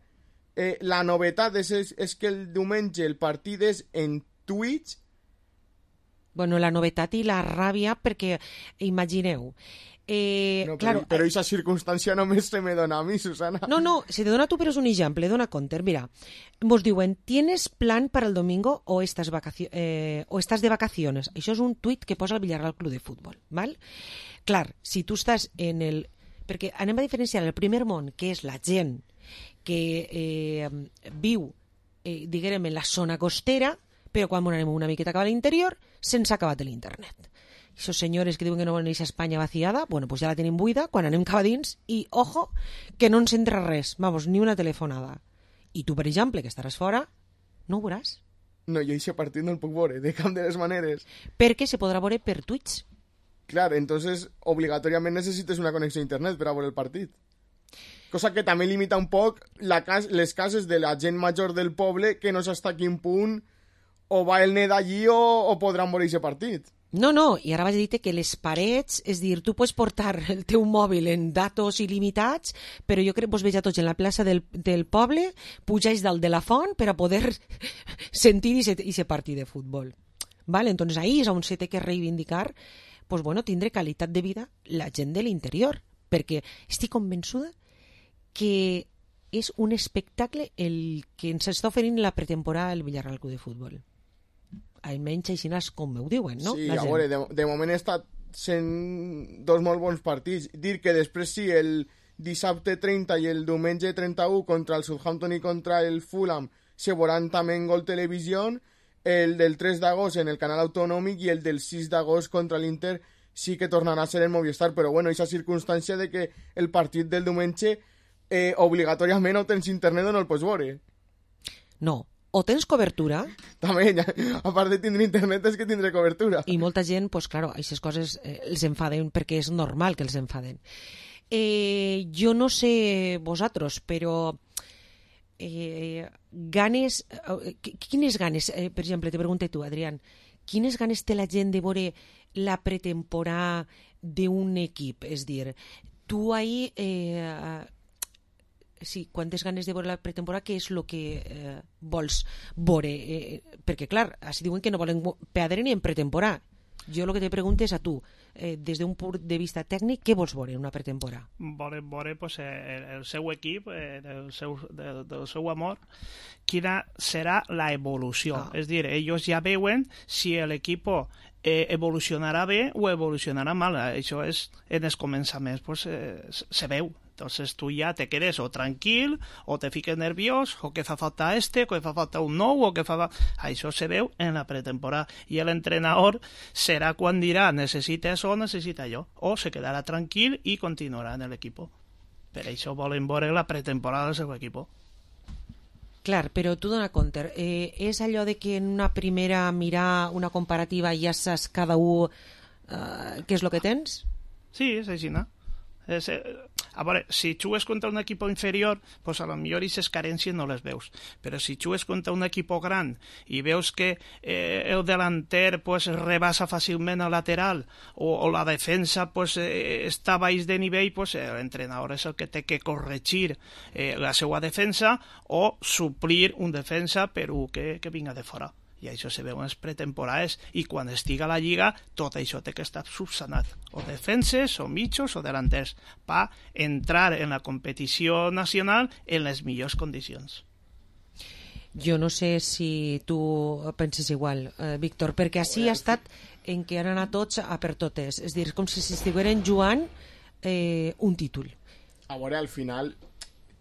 eh, la novetat és, és, és que el diumenge el partit és en Twitch. Bueno, la novetat i la ràbia, perquè imagineu, eh, no, però, claro, però aquesta circumstància només se me dona a mi, Susana. No, no, se te dona a tu, però és un exemple, dona compte. Mira, vos diuen, ¿tienes plan para el domingo o estás, vacacio eh, o estás de vacaciones? Això és un tuit que posa el Villarreal Club de Futbol, val? Clar, si tu estàs en el... Perquè anem a diferenciar el primer món, que és la gent que eh, viu, eh, diguem, en la zona costera, però quan anem una miqueta cap a l'interior, se'ns ha acabat l'internet. Aquests senyores que diuen que no volen anar a Espanya vaciada, bueno, pues ja la tenim buida, quan anem cap a dins, i, ojo, que no ens entra res, vamos, ni una telefonada. I tu, per exemple, que estaràs fora, no ho veuràs. No, jo aquest partit no el puc veure, de cap de les maneres. Perquè se podrà veure per Twitch. Clar, entonces obligatoriament necessites una connexió a internet per a veure el partit. Cosa que també limita un poc la cas les cases de la gent major del poble que no sé hasta quin punt o va el net allí o, o podran veure aquest partit. No, no, i ara vaig a dir que les parets, és dir, tu pots portar el teu mòbil en datos il·limitats, però jo crec que vos veig a tots en la plaça del, del poble, pujáis dalt de la font per a poder sentir i se partit de futbol. Vale? Entonces ahí és on se té que reivindicar, pues bueno, tindre qualitat de vida la gent de l'interior, perquè estic convençuda que és un espectacle el que ens està oferint la pretemporada del Villarreal Club de Futbol. Almenys així com ho diuen, no? Sí, a veure, de, de moment està sent dos molt bons partits. Dir que després sí, el dissabte trenta i el diumenge trenta-u contra el Southampton i contra el Fulham se veuran també en Gol Televisió, el del tres d'agost en el canal autonòmic i el del sis d'agost contra l'Inter sí que tornarà a ser en Movistar, però bueno, aquesta circumstància de que el partit del diumenge eh, obligatòriament o tens internet o no el pots veure. No. O tens cobertura... També, ja, a part de tindre internet és que tindré cobertura. I molta gent, doncs pues, claro, aquestes coses eh, els enfaden perquè és normal que els enfaden. Eh, jo no sé vosaltres, però eh, ganes... Eh, quines ganes, eh, per exemple, te pregunte tu, Adrián, quines ganes té la gent de veure la pretemporada d'un equip? És dir, tu ahí... Eh, sí, quantes ganes de veure la pretemporada, què és el que eh, vols veure? Eh, perquè, clar, així diuen que no volen perdre ni en pretemporada. Jo el que te pregunto és a tu, eh, des d'un punt de vista tècnic, què vols veure en una pretemporada? Volem veure pues, el, el seu equip, eh, del, seu, del, del seu amor, quina serà la evolució. Ah. És dir, ells ja veuen si l'equip eh, evolucionarà bé o evolucionarà mal. Això és, en els començaments pues, eh, se veu. Entonces tú ya te quedes o tranquil, o te fiques nerviós, o que fa falta este, o que fa falta un nou, o que fa... Això se veu en la pretemporada. I l'entrenador serà quan dirà necessita això o necessita allò. O se quedarà tranquil i continuarà en l'equip. Per això volen veure la pretemporada del seu equip. Clar, però tu dona compte, eh, és allò de que en una primera mirar una comparativa ja saps cada un eh, què és el que tens? Sí, és així, no? És, eh, a veure, si jugues contra un equip inferior, pues a lo millor aquestes carències no les veus. Però si jugues contra un equip gran i veus que eh, el delanter pues, rebasa fàcilment al lateral o, o la defensa pues, eh, està baix de nivell, pues, l'entrenador és el que té que corregir eh, la seva defensa o suplir un defensa per un que, que vinga de fora. I això se veu en les pretemporades i quan estiga la lliga tot això té que estar subsanat, o defenses, o mitjos, o delanters, per entrar en la competició nacional en les millors condicions. Jo no sé si tu penses igual, eh, Víctor, perquè així ha estat en què han anat tots a per totes, és a dir, com si estigueren jugant eh, un títol. A veure, al final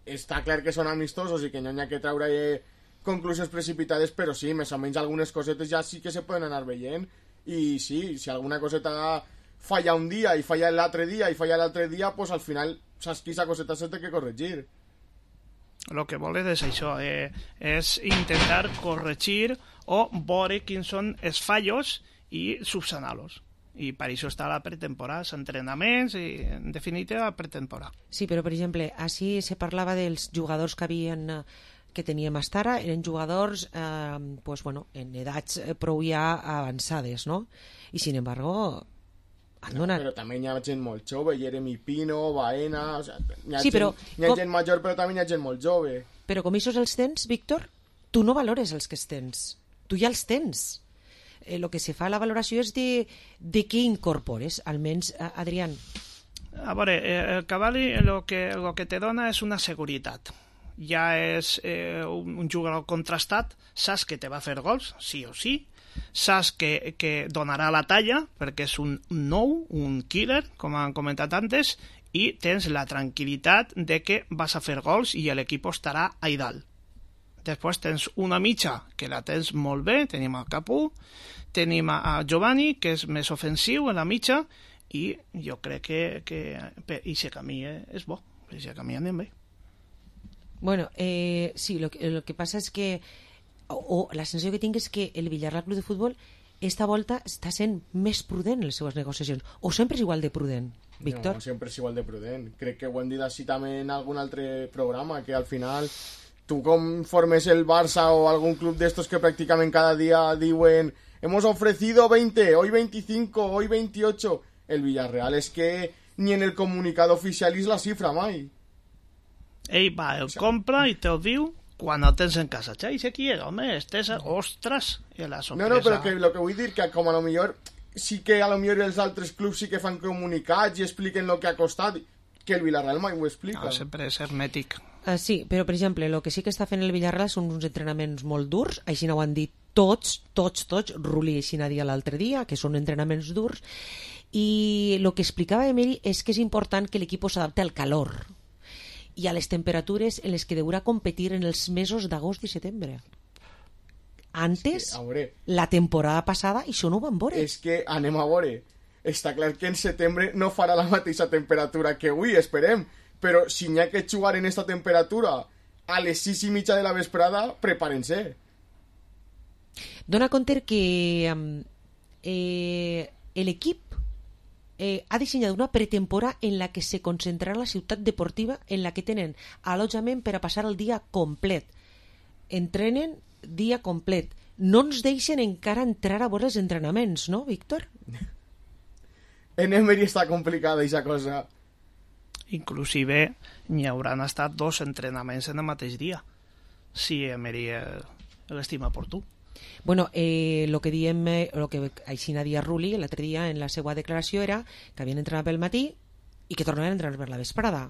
està clar que són amistosos i que no hi ha que treure eh, conclusions precipitades, però sí, més o menys algunes cosetes ja sí que se poden anar veient i sí, si alguna coseta falla un dia i falla l'altre dia i falla l'altre dia, pues al final saps que aquesta coseta se té que corregir. El que volen és això, eh, és intentar corregir o veure quins són els fallos i subsanar-los. I per això està la pretemporada, els entrenaments i, en definitiva, la pretemporada. Sí, però, per exemple, així se parlava dels jugadors que havien... que teníem hasta ara, eren jugadors eh, pues, bueno, en edats prou ja avançades, no? I, sin embargo, han no, donat... Però també hi ha gent molt jove, Jeremy Pino, Baena... O sea, hi ha, sí, gent, però, hi ha com... gent major, però també hi ha gent molt jove. Però com aquests els tens, Víctor, tu no valores els que els tens. Tu ja els tens. El eh, que se fa la valoració és de, de què incorpores, almenys, Adrián. A veure, el Cavalli el que, el que te dona és una seguretat. Ja és eh, un, un jugador contrastat, saps que te va a fer gols, sí o sí, saps que, que donarà la talla, perquè és un nou, un killer, com han comentat antes, i tens la tranquil·litat de que vas a fer gols i l'equip estarà a dalt. Després tens una mitja, que la tens molt bé, tenim a Capú, tenim a Giovanni, que és més ofensiu en la mitja, i jo crec que, que per aquest camí és bo, per aquest camí anem bé. Bueno, eh, sí, lo que, lo que pasa es que o, o la sensació que tinc és que el Villarreal Club de Futbol esta volta està sent més prudent en les seves negociacions, o sempre és igual de prudent, Víctor? No, sempre és igual de prudent. Crec que ho hem dit així també en algun altre programa, que al final tú conformes el Barça o algún club de estos que prácticamente cada día diuen hemos ofrecido veinte, hoy veinticinco, hoy veintiocho. El Villarreal es que ni en el comunicado oficial es la cifra, mai. Ell va, el compra i te'l diu quan el tens en casa. Xai, si aquí era, home, estés, ostres, i la sorpresa. No, no, però que lo que vull dir que com a lo millor sí que a lo millor els altres clubs sí que fan comunicats i expliquen lo que ha costat, que el Villarreal mai ho explica. No, sempre és hermètic. Uh, sí, però per exemple, el que sí que està fent el Villarreal són uns entrenaments molt durs, així no ho han dit tots, tots, tots, Rulli així n'ha dit l'altre dia, que són entrenaments durs, i el que explicava Emery és que és important que l'equip s'adapte al calor i a les temperatures en les que deurà competir en els mesos d'agost i setembre. Antes, sí, veure, la temporada passada, això no ho vam veure. És que anem a veure. Està clar que en setembre no farà la mateixa temperatura que avui, esperem. Però si n'hi ha que jugar en esta temperatura a les sis i mitja de la vesprada, preparen-se. Dona compte que eh, l'equip Eh, ha dissenyat una pretemporada en la que se concentrarà la ciutat deportiva en la que tenen allotjament per a passar el dia complet. Entrenen dia complet. No ens deixen encara entrar a veure els entrenaments, no, Víctor? En Emery està complicada aquesta cosa. Inclusive n'hi hauran estat dos entrenaments en el mateix dia, si Emery l'estima per tu. Bueno, eh, lo que diem, eh, lo que Aixina dia Rulli l'altre dia en la seva declaració era que havien entrenat pel matí i que tornaven a entrenar per la vesprada.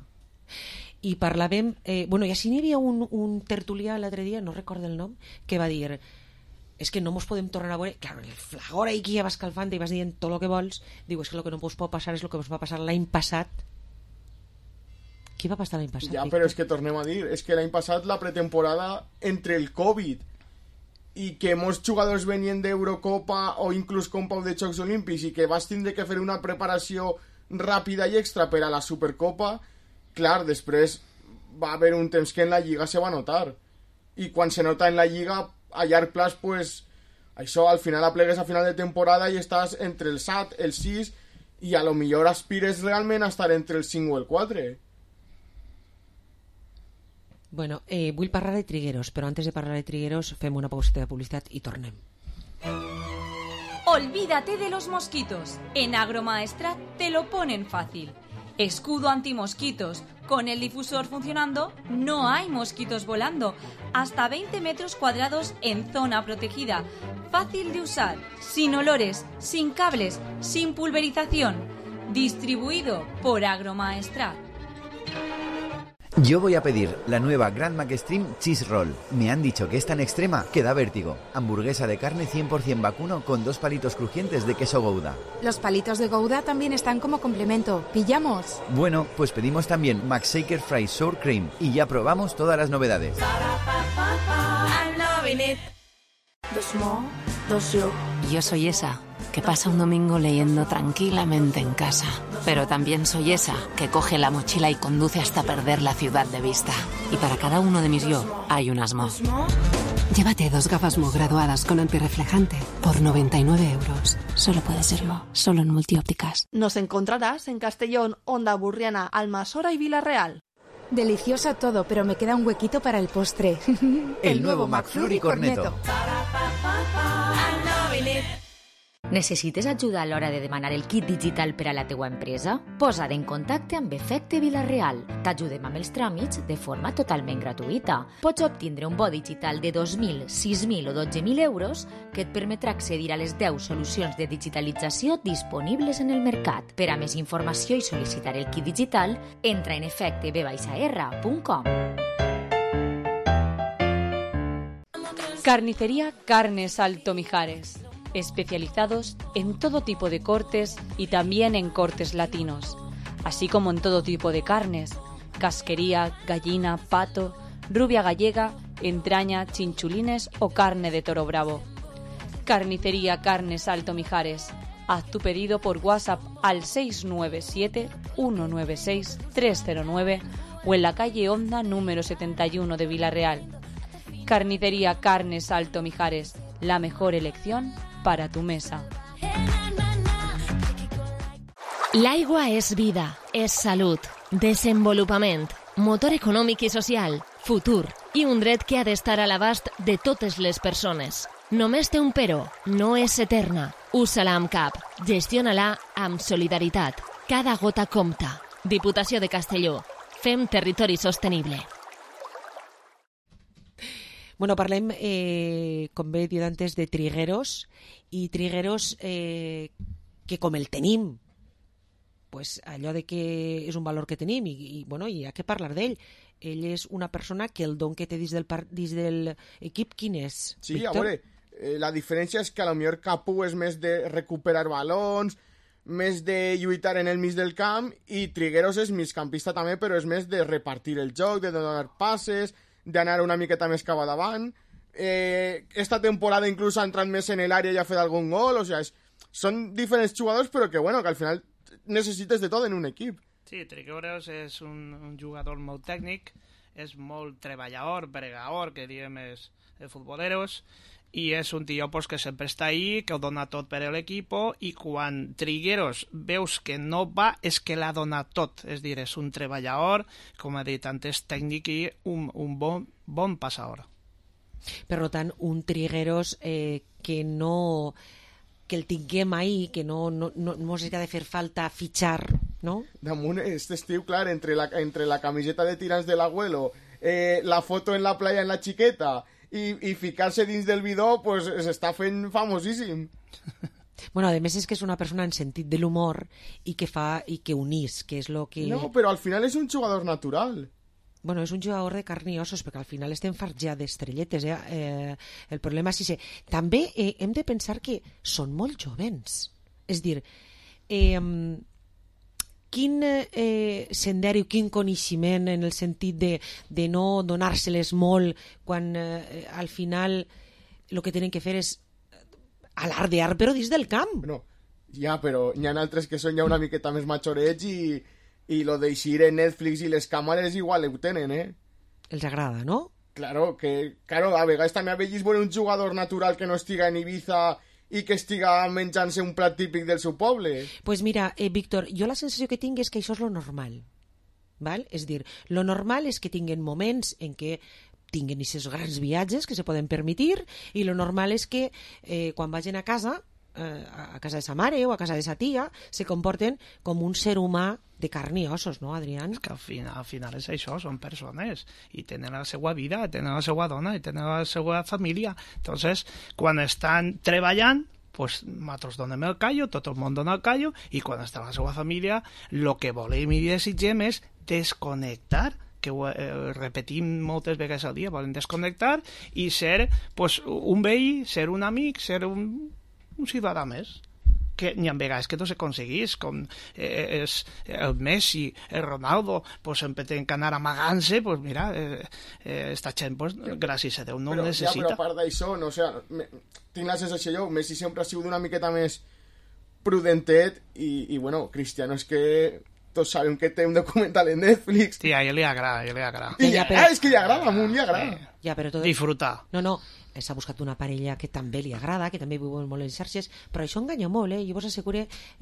I parlàvem, eh, bueno, i així n'hi havia un, un tertulià l'altre dia, no recordo el nom, que va dir, és que no mos podem tornar a veure, claro, el flagor ahí que ja va escalfant i vas dient tot el que vols, diu, és que el que no us pot passar és el que us va passar l'any passat. Què va passar l'any passat? Ja, però és que tornem a dir, és que l'any passat la pretemporada entre el Covid i que molts jugadors venien d'Eurocopa o inclús Copa de Jocs Olímpics i que vas tindre que fer una preparació ràpida i extra per a la Supercopa, clar, després va haver un temps que en la Lliga se va notar. I quan se nota en la Lliga, a llarg plaç, pues, això al final aplegues a final de temporada i estàs entre el set, el sis, i a lo millor aspires realment a estar entre el cinc o el quatre. Bueno, eh, vull parlar de Trigueros, però antes de parlar de Trigueros fem una pauseta de publicitat i tornem. Olvídate de los mosquitos. En Agromaestrat te lo ponen fácil. Escudo antimosquitos. Con el difusor funcionando, no hay mosquitos volando. Hasta veinte metros cuadrados en zona protegida. Fácil de usar, sin olores, sin cables, sin pulverización. Distribuido por Agromaestrat. Yo voy a pedir la nueva Grand Mac Extreme Cheese Roll. Me han dicho que es tan extrema que da vértigo. Hamburguesa de carne cien por ciento vacuno con dos palitos crujientes de queso Gouda. Los palitos de Gouda también están como complemento. ¿Pillamos? Bueno, pues pedimos también Mac Shaker Fry Sour Cream y ya probamos todas las novedades. Yo soy esa que pasa un domingo leyendo tranquilamente en casa. Pero también soy esa que coge la mochila y conduce hasta perder la ciudad de vista. Y para cada uno de mis yo hay un Asmo. Llévate dos gafas Mo graduadas con antirreflejante por noventa y nueve euros. Solo puede ser Mo, solo en Multiópticas. Nos encontrarás en Castellón, Onda Burriana, Almasora y Villarreal. Delicioso todo, pero me queda un huequito para el postre. El, el nuevo McFlurry Corneto. Necessites ajuda a l'hora de demanar el kit digital per a la teua empresa? Posa't en contacte amb Efecte Vila-real. T'ajudem amb els tràmits de forma totalment gratuïta. Pots obtindre un bo digital de dos mil, sis mil o dotze mil euros que et permetrà accedir a les deu solucions de digitalització disponibles en el mercat. Per a més informació i sol·licitar el kit digital, entra en efecte b r punt com. Carnicería Carnes Alto Mijares. Especializados en todo tipo de cortes y también en cortes latinos, así como en todo tipo de carnes, casquería, gallina, pato, rubia gallega, entraña, chinchulines o carne de toro bravo. Carnicería Carnes Alto Mijares. Haz tu pedido por WhatsApp al seis nueve siete, uno nueve seis, tres cero nueve o en la calle Honda número setenta y uno de Villarreal. Carnicería Carnes Alto Mijares, la mejor elección para tu mesa. L'aigua és vida, és salut. Desenvolupament, motor econòmic i social, futur i un dret que ha d'estar a l'abast de totes les persones. Només té un però, no és eterna. Usa-la amb cap, gestiona-la amb solidaritat. Cada gota compta. Diputació de Castelló. Fem territori sostenible. Bueno, parlem, eh, com bé he dit antes, de trigueros, i trigueros eh, que com el tenim, pues allò de que és un valor que tenim i, i, bueno, i hi ha que parlar d'ell. Ell és una persona que el don que té dins del, par dins del equip, quin és? Sí, Víctor? a veure, eh, la diferència és que a lo millor Capu és més de recuperar balons, més de lluitar en el mig del camp, i Trigueros és migcampista també, però és més de repartir el joc, de donar passes, d'anar una miqueta més cap a davant. Eh, esta temporada inclús ha entrat més en l'àrea i ha fet algun gol, o sea, és, són diferents jugadors, però que bueno, que al final necessites de tot en un equip. Sí, Trigueros és un, un jugador molt tècnic, és molt treballador, bregador, que diem és de futboleros, i és un tio pues, que sempre està ahí, que ho dona tot per a l'equip, i quan Trigueros veus que no va, és que l'ha donat tot. És dir, és un treballador, com he dit antes, tècnic i un, un bon, bon passador. Per tant, un Trigueros eh, que no... que el tinguem ahí, que no, no, no, no ens ha de fer falta fitxar, no? Damunt, este estiu, clar, entre la, entre la camiseta de tirants de l'abuelo, eh, la foto en la playa en la xiqueta i, i ficar-se dins del bidó, pues s'està fent famosíssim. Bueno, a més és que és una persona en sentit de l'humor i que fa i que unís, que és lo que... No, però al final és un jugador natural. Bueno, és un jugador de carn i ossos, perquè al final estem farts ja d'estrelletes. Eh? Eh, el problema és que també eh, hem de pensar que són molt jovens. És dir, eh, quin eh, senderi o quin coneixement en el sentit de, de no donar-se-les molt quan eh, al final el que tenen que fer és alardear però dins del camp. No, ja, però hi ha altres que són ja una miqueta més majorets i... i lo de eixir en Netflix i les càmeres igual ho tenen, eh? Els agrada, no? Claro, que claro, a vegades també ha vegis veure un jugador natural que no estiga en Ibiza i que estiga menjant-se un plat típic del seu poble. Pues mira, eh, Víctor, jo la sensació que tinc és que això és lo normal, val? És dir, lo normal és que tinguen moments en què tinguen aquests grans viatges que se poden permetir, i lo normal és que eh, quan vagin a casa, eh, a casa de sa mare o a casa de sa tia, se comporten com un ser humà de carn i ossos, no, Adrián? És que al final, al final és això, són persones i tenen la seva vida, tenen la seva dona i tenen la seva família. Entonces, quan estan treballant, pues nosaltres donem el callo, tot el món dona el callo, i quan està la seva família, el que volem i desitgem és desconnectar, que ho eh, repetim moltes vegades al dia, volen desconnectar i ser pues, un veí, ser un amic, ser un, un ciutadà més. Que n'hi ha vegades que no s'aconseguís, com eh, és el Messi, el Ronaldo, pues sempre tenen que anar amagant-se, pues mira, eh, eh, esta gent, pues, gràcies a Déu, no però, ho necessita. Ja, però a part d'això, no, o sea, me, tinc la sensació jo, Messi sempre ha sigut una miqueta més prudentet i, i bueno, Cristiano és que tots sabem que té un documental en Netflix. Sí, a ell li agrada, a ell li agrada. I ja, però... ah, és que li agrada, a un li agrada. Ja, però tot... Disfrutar. No, no, s'ha buscat una parella que també li agrada, que també viu molt en xarxes, però això enganya molt, eh? Jo vos asseguro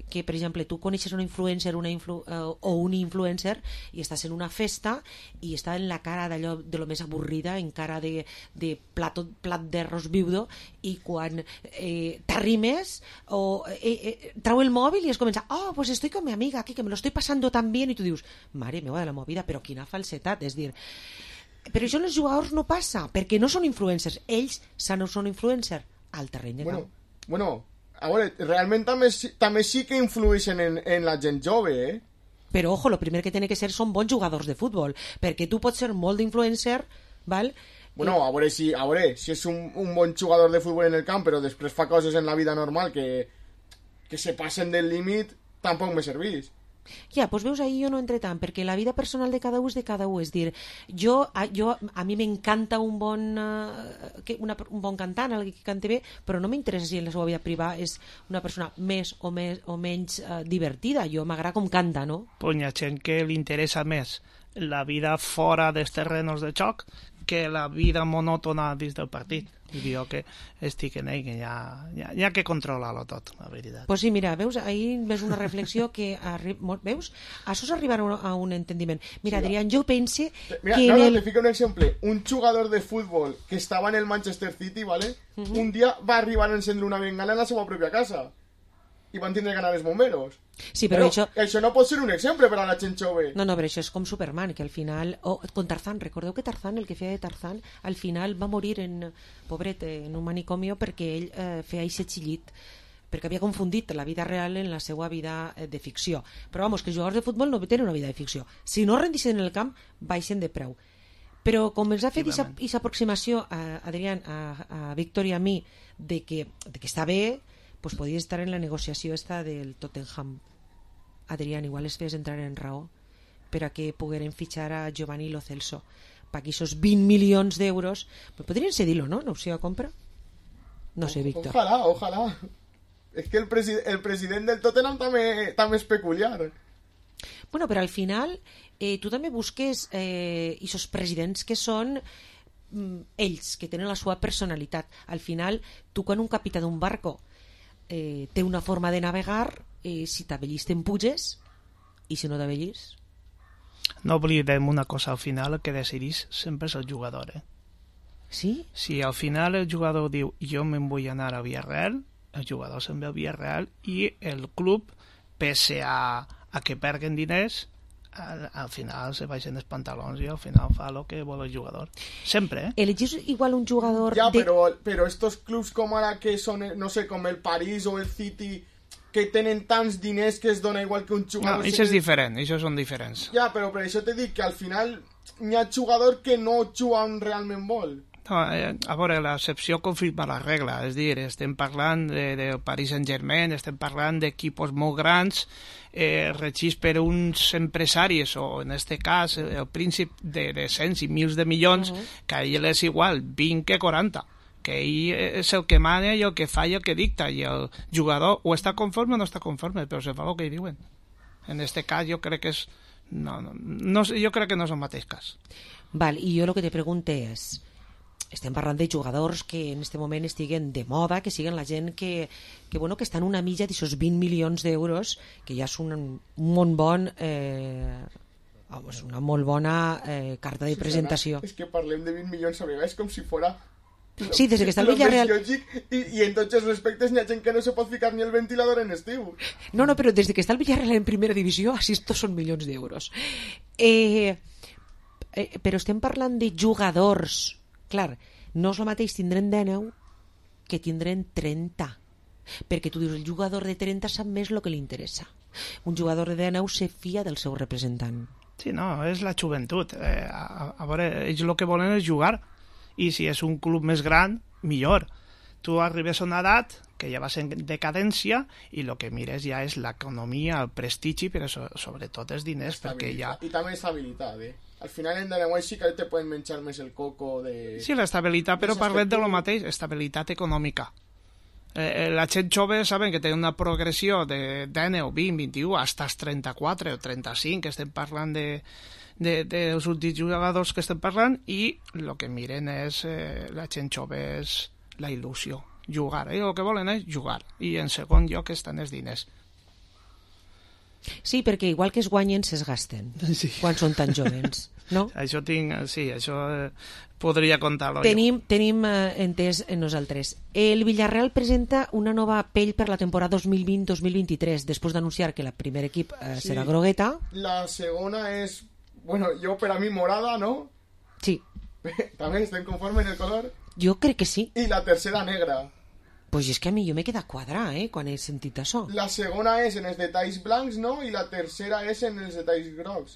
que, per exemple, tu coneixes un influencer una influ uh, o un influencer i estàs en una festa i està en la cara d'allò de lo més avorrida, en cara de, de plato, plat d'arròs viudo, i quan eh, t'arrimes o eh, eh, trau el mòbil i es comença, oh, pues estoy con mi amiga aquí, que me lo estoy pasando tan bien, i tu dius, mare meva de la movida, però quina falsetat, és dir... Però això els jugadors no passa, perquè no són influencers. Ells no són influencers al terreny de bueno, camp. Bueno, a veure, realment també, també sí que influeixen en, en la gent jove, eh? Però, ojo, el primer que té que ser són bons jugadors de futbol, perquè tu pots ser molt d'influencer, val? Bueno, a veure, si, a veure, si és un, un bon jugador de futbol en el camp, però després fa coses en la vida normal que, que se passen del límit, tampoc me servís. Ja, doncs veus, ahí jo no entre tant, perquè la vida personal de cada un és de cada un, és dir, jo, a, jo, a mi m'encanta un bon uh, que una, un bon cantant, algú que cante bé, però no m'interessa si en la seva vida privada és una persona més o, més, o menys uh, divertida, jo m'agrada com canta, no? Pues hi ha gent que li interessa més la vida fora dels terrenos de xoc que la vida monòtona dins del partit. I jo que estic en ell, que ja, ja, ja que controla-lo tot, la veritat. Pues sí, mira, veus, ahir ves una reflexió que, arri... veus, això és arribar a un, a un entendiment. Mira, sí, Adrián, jo pense mira, que... No, no, el... te fico un exemple. Un jugador de fútbol que estava en el Manchester City, ¿vale? Uh -huh. Un dia va arribar a encendre una bengala en la seva pròpia casa. I van tindre que anar els bomberos. Sí, però, però això... això no pot ser un exemple per a la gent jove. No, no, però això és com Superman, que al final... O oh, con Tarzán, recordeu que Tarzán, el que feia de Tarzán, al final va morir en, pobret, en un manicomio perquè ell eh, feia aquest xillit, perquè havia confundit la vida real en la seva vida eh, de ficció. Però, vamos, que els jugadors de futbol no tenen una vida de ficció. Si no rendixen en el camp, baixen de preu. Però com ens ha fet aquesta aproximació, a Adrián, a, a Víctor i a mi, de que, de que està bé, pues podria estar en la negociació esta del Tottenham. Adrián, igual es fes entrar en raó per a que pogueren fitxar a Giovanni Lo Celso per aquí esos vint milions d'euros, pues podrien cedir-lo, ¿no? Una opció de compra. No sé, Víctor. Ojalá, ojalá. Es que el, presi el president del Tottenham també, també és peculiar. Bueno, però al final eh, tu també busques eh, esos presidents que són mm, ells, que tenen la seva personalitat. Al final, tu quan un capità d'un barco Eh, té una forma de navegar, eh, si t'avellis t'empuges i si no t'avellis no oblidem una cosa, al final el que decidís sempre és el jugador, eh? Sí? Si al final el jugador diu jo me'n vull anar a Villarreal, el jugador se'n ve a Villarreal i el club, pese a, a que perguen diners, al, al final se baixen els pantalons i al final fa el que vol el jugador. Sempre, eh? Elegís igual un jugador... Ja, de... però, però estos clubs com ara que són, no sé, com el París o el City, que tenen tants diners que es dona igual que un jugador... No, això és diferent, això són diferents. Ja, però per això t'he dit que al final hi ha jugador que no juga on realment vol. No, eh, a veure, l'excepció confirma la regla, és dir, estem parlant de, de Paris Saint-Germain, estem parlant d'equipos molt grans, eh, regits per uns empresaris, o en este cas el príncip de, de cents i mils de milions, uh -huh. que a ell és igual vint que quaranta, que ell és el que mana i el que fa i el que dicta, i el jugador o està conforme o no està conforme, però se fa el que diuen. En este cas jo crec que és... No, no, no, jo crec que no és el mateix cas. Val, i jo el que te pregunto és... Estem parlant de jugadors que en este moment estiguen de moda, que siguen la gent que, que, bueno, que estan una milla d'aquests vint milions d'euros, que ja és un, un molt bon... Eh, vamos, una molt bona eh, carta de presentació. És que parlem de vint milions a vegades com si fora... Sí, des que està el Villarreal... I, I en tots els respectes n'hi ha gent que no se pot ficar ni el ventilador en estiu. No, no, però des que està el Villarreal en primera divisió, així tots són milions d'euros. Eh, eh, però estem parlant de jugadors... Clar, no és el mateix tindre'n dinou que tindre'n trenta. Perquè tu dius, el jugador de trenta sap més el que li interessa. Un jugador de dinou se fia del seu representant. Sí, no, és la joventut. Eh, a, a veure, ells el que volen és jugar. I si és un club més gran, millor. Tu arribes a una edat que ja vas en decadència i el que mires ja és l'economia, el prestigi, però so, sobretot els diners, perquè ja... I també estabilitat, eh? Al final en Danaguai sí que te poden menjar més el coco de... Sí, l'estabilitat, però parlem de lo mateix, estabilitat econòmica. Eh, la gent jove saben que té una progressió de dinou, vint, vint-i-u, fins als trenta-quatre o trenta-cinc, que estem parlant de, de, de dels últims jugadors que estem parlant, i el que miren és, eh, la gent jove és la il·lusió, jugar. Eh? El que volen és jugar, i en segon lloc estan els diners. Sí, perquè igual que es guanyen, s'es gasten, sí. Quan són tan jovens, no? Això tinc, sí, això eh, podria contar-lo tenim, jo. Tenim eh, entès en nosaltres. El Villarreal presenta una nova pell per la temporada dos mil vint dos mil vint-i-tres, després d'anunciar que el primer equip eh, sí. serà grogueta. La segona és, bueno, jo per a mi morada, no? Sí. També estem conformes en el color? Jo crec que sí. I la tercera negra. Pues és que a mi jo m'he quedat quadrar, eh, quan he sentit això. La segona és en els detalls blancs, no? I la tercera és en els detalls grocs.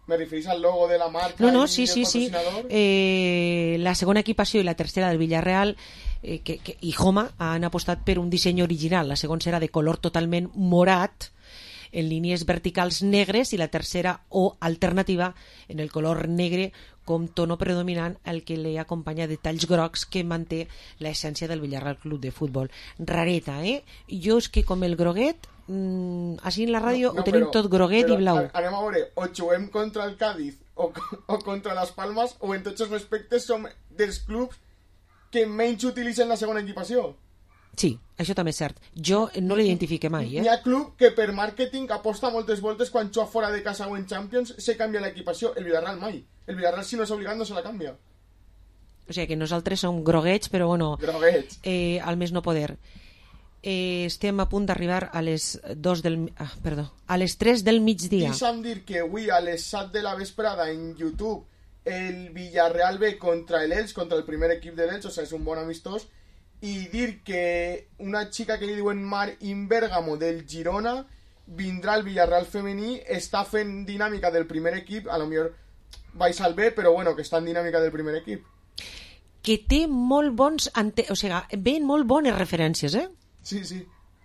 Me referís al logo de la marca no, no, i sí, del sí, patrocinador? Sí. Eh, la segona equipació i la tercera del Villarreal eh, que, que, i Homa han apostat per un disseny original. La segona serà de color totalment morat, en línies verticals negres, i la tercera o alternativa en el color negre com tono predominant, el que li acompanya detalls grocs que manté l'essència del Villarreal Club de Futbol. Rareta, eh? Jo és que com el groguet, mmm, així en la ràdio no, no, ho tenim però, tot groguet i blau. Anem a veure, o juguem contra el Cádiz o, o contra les Palmes, o en tots els respectes som dels clubs que menys utilitzen la segona equipació. Sí, això també és cert. Jo no l'identifique mai, eh? Hi ha club que per màrqueting aposta moltes voltes quan juga fora de casa o en Champions se canvia l'equipació. El Villarreal mai. El Villarreal, si no és obligat, no se la canvia. O sigui que nosaltres som groguets, però bueno... Groguets. Eh, al més no poder. Eh, estem a punt d'arribar a les dos del... Ah, perdó. A les tres del migdia. Deixa'm dir que avui a les set de la vesprada en YouTube el Villarreal ve contra el Elx, contra el primer equip de l'Elx, o sigui, és un bon amistós. I dir que una xica que li diuen Mar Inbergamo del Girona vindrà al Villarreal femení, està fent dinàmica del primer equip, a lo millor vais al B, però bueno, que està en dinàmica del primer equip. Que té molt bons... Ante... O sigui, ven molt bones referències, eh? Sí, sí.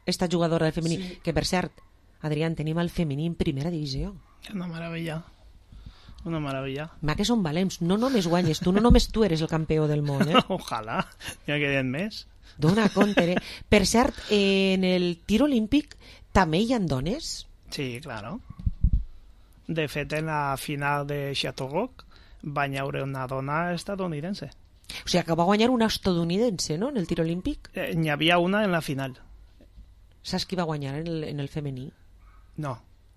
Esta jugadora del femení. Sí. Que, per cert, Adrián, tenim el femení en primera divisió. Una meravella. Una meravella. Ma, que són valents. No només guanyes tu, no només tu eres el campió del món, eh? Ojalà, ja queden més. Dona compte, eh? Per cert, en el tir olímpic també hi ha dones? Sí, claro. De fet, en la final de Chateauroux va haver una dona estadounidense. O sigui, que va guanyar una estadounidense, no?, en el tir olímpic. Eh, N'hi havia una en la final. Saps qui va guanyar en el, en el femení? No,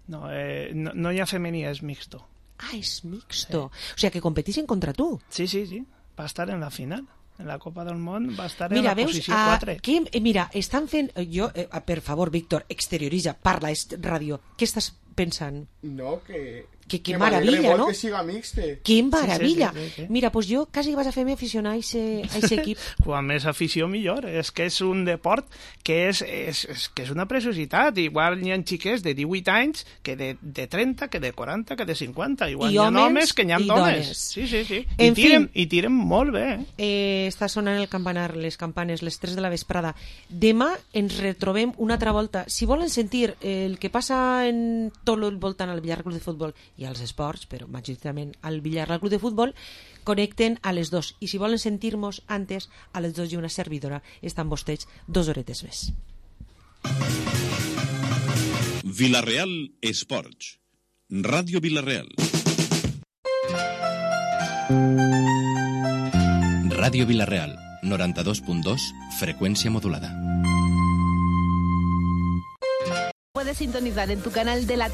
no, eh, no, no hi ha femení, és mixto. Ah, és mixto. Sí. O sigui, que competeixen contra tu. Sí, sí, sí. Va estar en la final. En la Copa del Món va estar mira, en la veus, posició quatre. Que, eh, mira, estan fent... Jo, eh, per favor, Víctor, exterioritza, parla, és ràdio. Què estàs pensant? No, que... Que, que, que maravilla, no? Que siga mixte. Que maravilla. Sí, sí, sí, sí, sí. Mira, pues jo quasi vas a fer-me aficionar a aquest equip. Quan més afició, millor. És que és un deport que és, és, és, que és una preciositat. Igual hi ha xiques de divuit anys, que de, de trenta, que de quaranta, que de cinquanta. Igual I hi ha homes, homes que hi ha i dones. dones. Sí, sí, sí. En I tiren, fin. I tiren molt bé. Eh? Eh, està sonant el campanar, les campanes, les tres de la vesprada. Demà ens retrobem una altra volta. Si volen sentir el que passa en tot el voltant al Villarreal Club de Futbol i als esports, però majoritàriament al Villarreal Club de Futbol, connecten a les dos. I si volen sentir-nos antes, a les dos i una servidora estan vostès dos horetes més. Villarreal Esports. Ràdio Villarreal. Ràdio Villarreal, noranta-dos punt dos, frecuencia modulada. Puedes sintonizar en tu canal de la